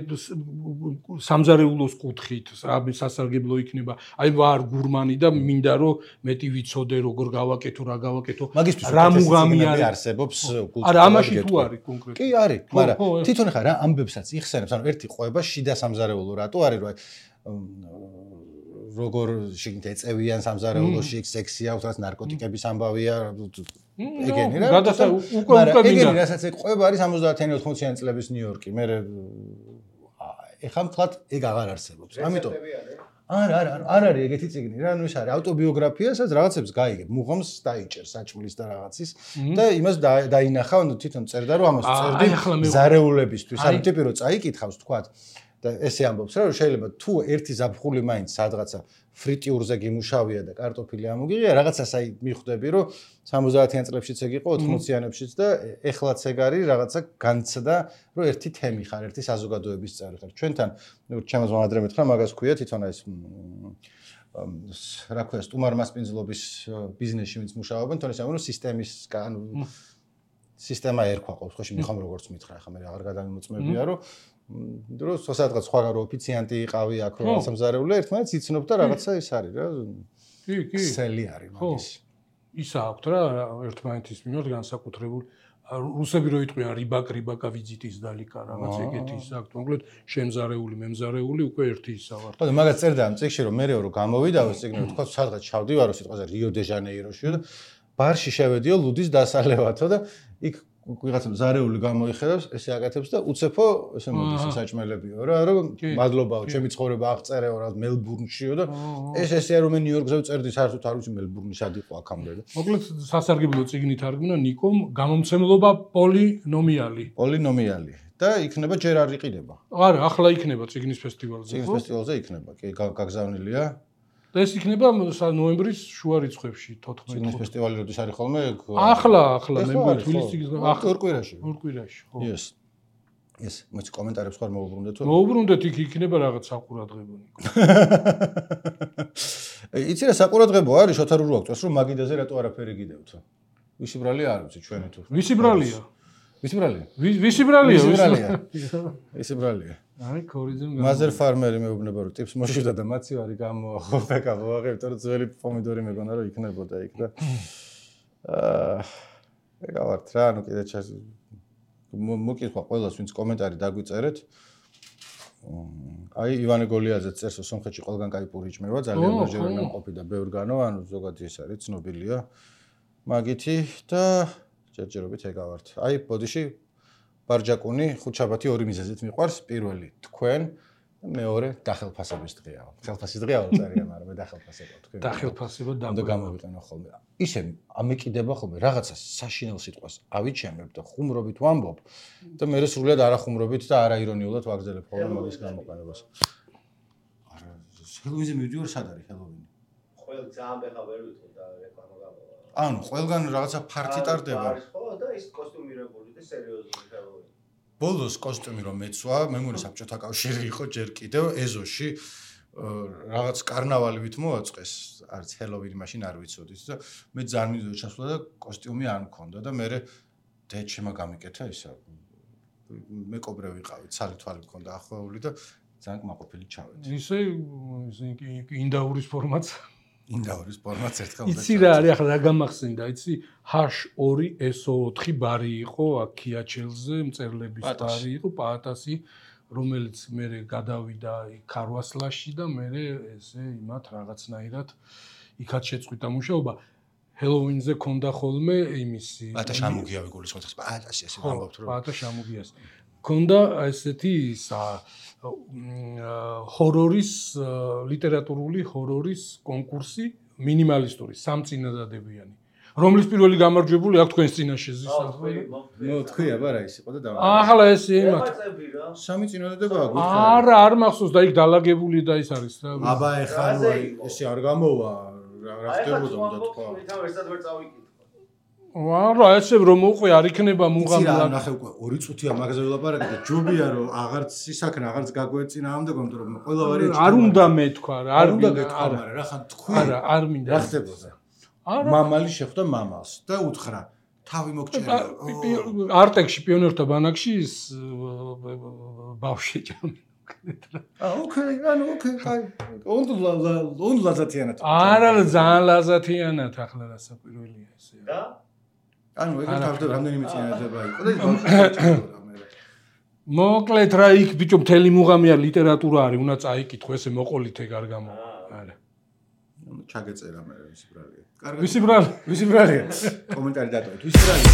სამზარეულოს კუთხით, აი სასარგებლო იქნება. აი ვარ გურმანი და მინდა რომ მეტი ვიცოდე როგორ გავაკეთო, რა გავაკეთო. რა მუღამი არსებობს კულტურაში. არა, ამაში თუ არის კონკრეტულად. კი არის, მაგრამ თვითონ ხა რა ამბებსაც იხსენებს. ანუ ერთი ყვება შიდა სამზარეულო რატო არის რომ როგორ შეგინდა ეწევიან სამზარეულოში სექსი აქვს, რაც ნარკოტიკების ამბავია, ეგენი რა. გადასა უკვე უკვე ეგენი რასაც ყვება არის სამოცდაათიანი ოთხმოციანი წლების ნიუ-იორკი. მე ეხლა მთლად ეგ აღარ არსებობს. ამიტომ არა, არა, არ არის ეგეთი წიგნი რა, ანუ ეს არის ავტობიოგრაფიასაც რაღაცებს გაიგებ, მუღამს დაიჭერ საჭმლის და რაღაცის და იმას დაინახა, თვითონ წერდა რომ ამას წერდი მზარეულებისთვის. ანუ ტიპი რო წაიკითხავს თქვათ და ესე ამბობს რა რომ შეიძლება თუ ერთი ზაფხული მაინც სადღაცა ფრიტიურზე გიმუშავია და კარტოფილი ამოგიღია რაღაცას აი მიხვდები რომ სამოცდაათიან წლებშიც ეგ იყო ოთხმოციანებშიც და ეხლაც ეგ არის რაღაცა განცდა რომ ერთი თემი ხარ ერთი საზოგადოების წევრი ხარ ჩვენთან ჩემს მომადრე მეთხრა მაგას ქვია თვითონ ეს რა ქვია სტუმარმასპინძლობის ბიზნესში ვინც მუშაობენ თორე სამრო სისტემის ანუ სისტემა ერქვა ყოველ შემთხვევაში მიხომ როგორც მითხრა ახლა მე აღარ გადამოწმებია რომ დროს სადღაც სხვა რო ოფიციანტი იყავი აქ რო სამზარეულო ერთმანეთს იცნობ და რაღაცა ის არის რა კი კი სელი არის მაგის ისა აქვს რა ერთმანეთის მიმართ განსაკუთრებული რუსები რო იტყვიან რიბაკ რიბაკა ვიზიტის დალიკა რაღაც ეგეთი ის აქვს მოკლედ შემზარეული მემზარეული უკვე ერთი ისა ვარ ხო და მაგას წერდა ამ წიგნში რომ მე რო გამოვიდაო წიგნი თქვა სადღაც ჩავდივარო სიტყვაზე რიო დე ჟანეიროში და ბარში შევედიო ლუდის დასალევათო და იქ ვიღაცა მზარეული გამოიხედავს, ესე აკეთებს და უცეფო ესე მოდის საჭმელებიო რა, რომ მადლობაო, ჩემი ცხოვრება აღწერეო რა მელბურნშიო და ეს ესეა რომ მე ნიუ-იორკზე ვწერდი, საერთოდ არ ვიცი მელბურნი სად იყო აქამდე და. მოკლედ სასარგებლო წიგნი თარგმნა ნიკომ, გამომცემლობა პოლინომიალი. პოლინომიალი და იქნება ჯერ არ იყიდება. არა, ახლა იქნება წიგნის ფესტივალზე. წიგნის ფესტივალზე იქნება, კი, გაგზავნილია. და ეს იქნება ნოემბრის შუა რიცხვებში თოთხმეტი. წიგნის ფესტივალი როდის არის ხოლმე? ახლა, ახლა მე თბილისში ახლა ორ კვირაში. ორ კვირაში, ხო. Yes. ეს მოიც კომენტარებს ხარ მოუბრუნდეთ თუ? მოუბრუნდეთ, იქ იქნება რაღაც საყურადღებო. იცი რა საყურადღებო არის შოთა რურო აქვს, რომ მაგიდაზე რატო არაფერი გიდევთ? ვისი ბრალია არ ვიცი ჩვენი თუ. ვისი ბრალია? ვისი ბრალია? ვისი ბრალია? ვისი ბრალია? ვისი ბრალია? აი, ქორიძემ მაზერ ფარმერი მეუბნება რომ ტიპს მოშივდა და მაცივარი გამოახო ვაღებ, თორე ძველი პომიდორი მეგონა რომ იქნებოდა იქ და აა ეგავართ რა, ну კიდე ჩას მოკითხვა ყველას ვინც კომენტარი დაგვიწერეთ. აი ივანე გოლიაძე წერს რომ სომხეთში ყველგან кай პური იჭმება, ძალიან ნაჟერა ნამყოფი და ბევრგანო, ანუ ზოგადად ეს არის ცნობილია. მაგითი და ჯერჯერობით ეგავართ. აი ბოდიში ბარჯაკუნი ხუთშაბათი ორი მიზეზით მიყვარს, პირველი თქვენ, მეორე დახელფასების დღეა. ხელფასის დღეა წერია, მაგრამ მე დახელფასება თქვენ. დახელფასება და გამოვიყენო ხოლმე. ისე ამეკიდება ხოლმე რაღაცა საშინელ სიტყვას ავიჩემებ და ხუმრობით ვამბობ და მე სრულად არახუმრობით და არაირონიულად ვაგრძელებ ხოლმე მაგის გამოყენებას. არა, ჰელოვინზე მივდივარ, სად არის ჰელოვინი? ყველ ძალიან ბეხა ვერ ვითხოვ და რეკლამა გამოვა. ანუ ყველგან რაღაცა ფართი ტარდება. არის ხო და ის კოსტიუმირებული და სერიოზული ჰელოვინი. ბოლოს კოსტიუმი რომ მეცვა, მემორი საბჭოთა კავშირი იყო ჯერ კიდევ ეზოში რაღაც კარნავალივით მოაწყეს, არც ჰელოვინი მაშინ არ ვიცოდით და მე ძალიან მინდოდა ჩასვლა და კოსტიუმი არ მქონდა და მე დეჩემა გამიკეთა ისა. მეკობრე ვიყავით, ცალი თვალი მქონდა ახვეული და ძალიან კმაყოფილი ჩავედი. ისე ინდაურის ფორმაც ინდაურის ფორმაც ერთხელ იცი რა არის ახლა რა გამახსენდა, იცი ჰაშ ორი ეს ოთხი ბარი იყო აქ ქიაჩელზე, მწერლების ბარი იყო, პაატასი, რომელიც მე გადავიდა ქარვასლაში და მე ესე იმათ რაღაცნაირად იქაც შეწყვიტა მუშაობა. ჰელოვინზე ქონდა ხოლმე იმისი პაატა შამუგიავი გულისხმობს, პაატასი ასე ვამბობთ რომ პაატა შამუგიას. ქონდა ესეთი ჰორორის ლიტერატურული ჰორორის კონკურსი მინიმალისტური სამწინადადებიანი, რომლის პირველი გამარჯვებული აქ თქვენს წინაშე ზის ახლა. ნუ თქვი აბა რა ის იყო და დავა. ახლა ეს იმათ. სამი წინადადებაა გულისხმობს. არა, არ მახსოვს და იქ დალაგებული და ის არის რა. აბა ეხა ნუ ესე არ გამოვა რა ხდებოდა უნდა თქვა. თან ერთად ვერ წავიკითხო. არა, ესე რომ მოყვე არ იქნება მუღამლა. იცი რა ნახე უკვე ორი წუთია მაგაზე ველაპარაკე და ჯობია რომ აღარც ისაქნა აღარც გაგვეცინა ამდე გონდა რომ ყველა ვარიანტი არ უნდა მეთქვა რა, არ უნდა გეთქვა, მაგრამ რა ხან თქვი. არა, არ მინდა. რა ხდებოდა? მამალი შეხვდა მამალს და უთხრა თავი მოგჭერა. არტექში პიონერთა ბანაკში ის ბავშვი ჭამდა. აა ოკეი, ანუ ოკეი, აი. უნდა უნდა ლაზათიანად. არა, ძალიან ლაზათიანად ახლა რასაკვირველია ესე. და ანუ ეგრე თავზე რამდენიმე წინადადება იყო და ის ბავშვი მე. მოკლედ რა იქ ბიჭო მთელი მუღამია ლიტერატურა არის, უნდა წაიკითხო ესე მოყოლით ეგ არ გამო. არა. ნუ ჩაგეწერა მე ვისი ბრალია. კარგი. ვისი ბრალია? ვისი ბრალია? კომენტარი დატოვეთ. ვისი ბრალია?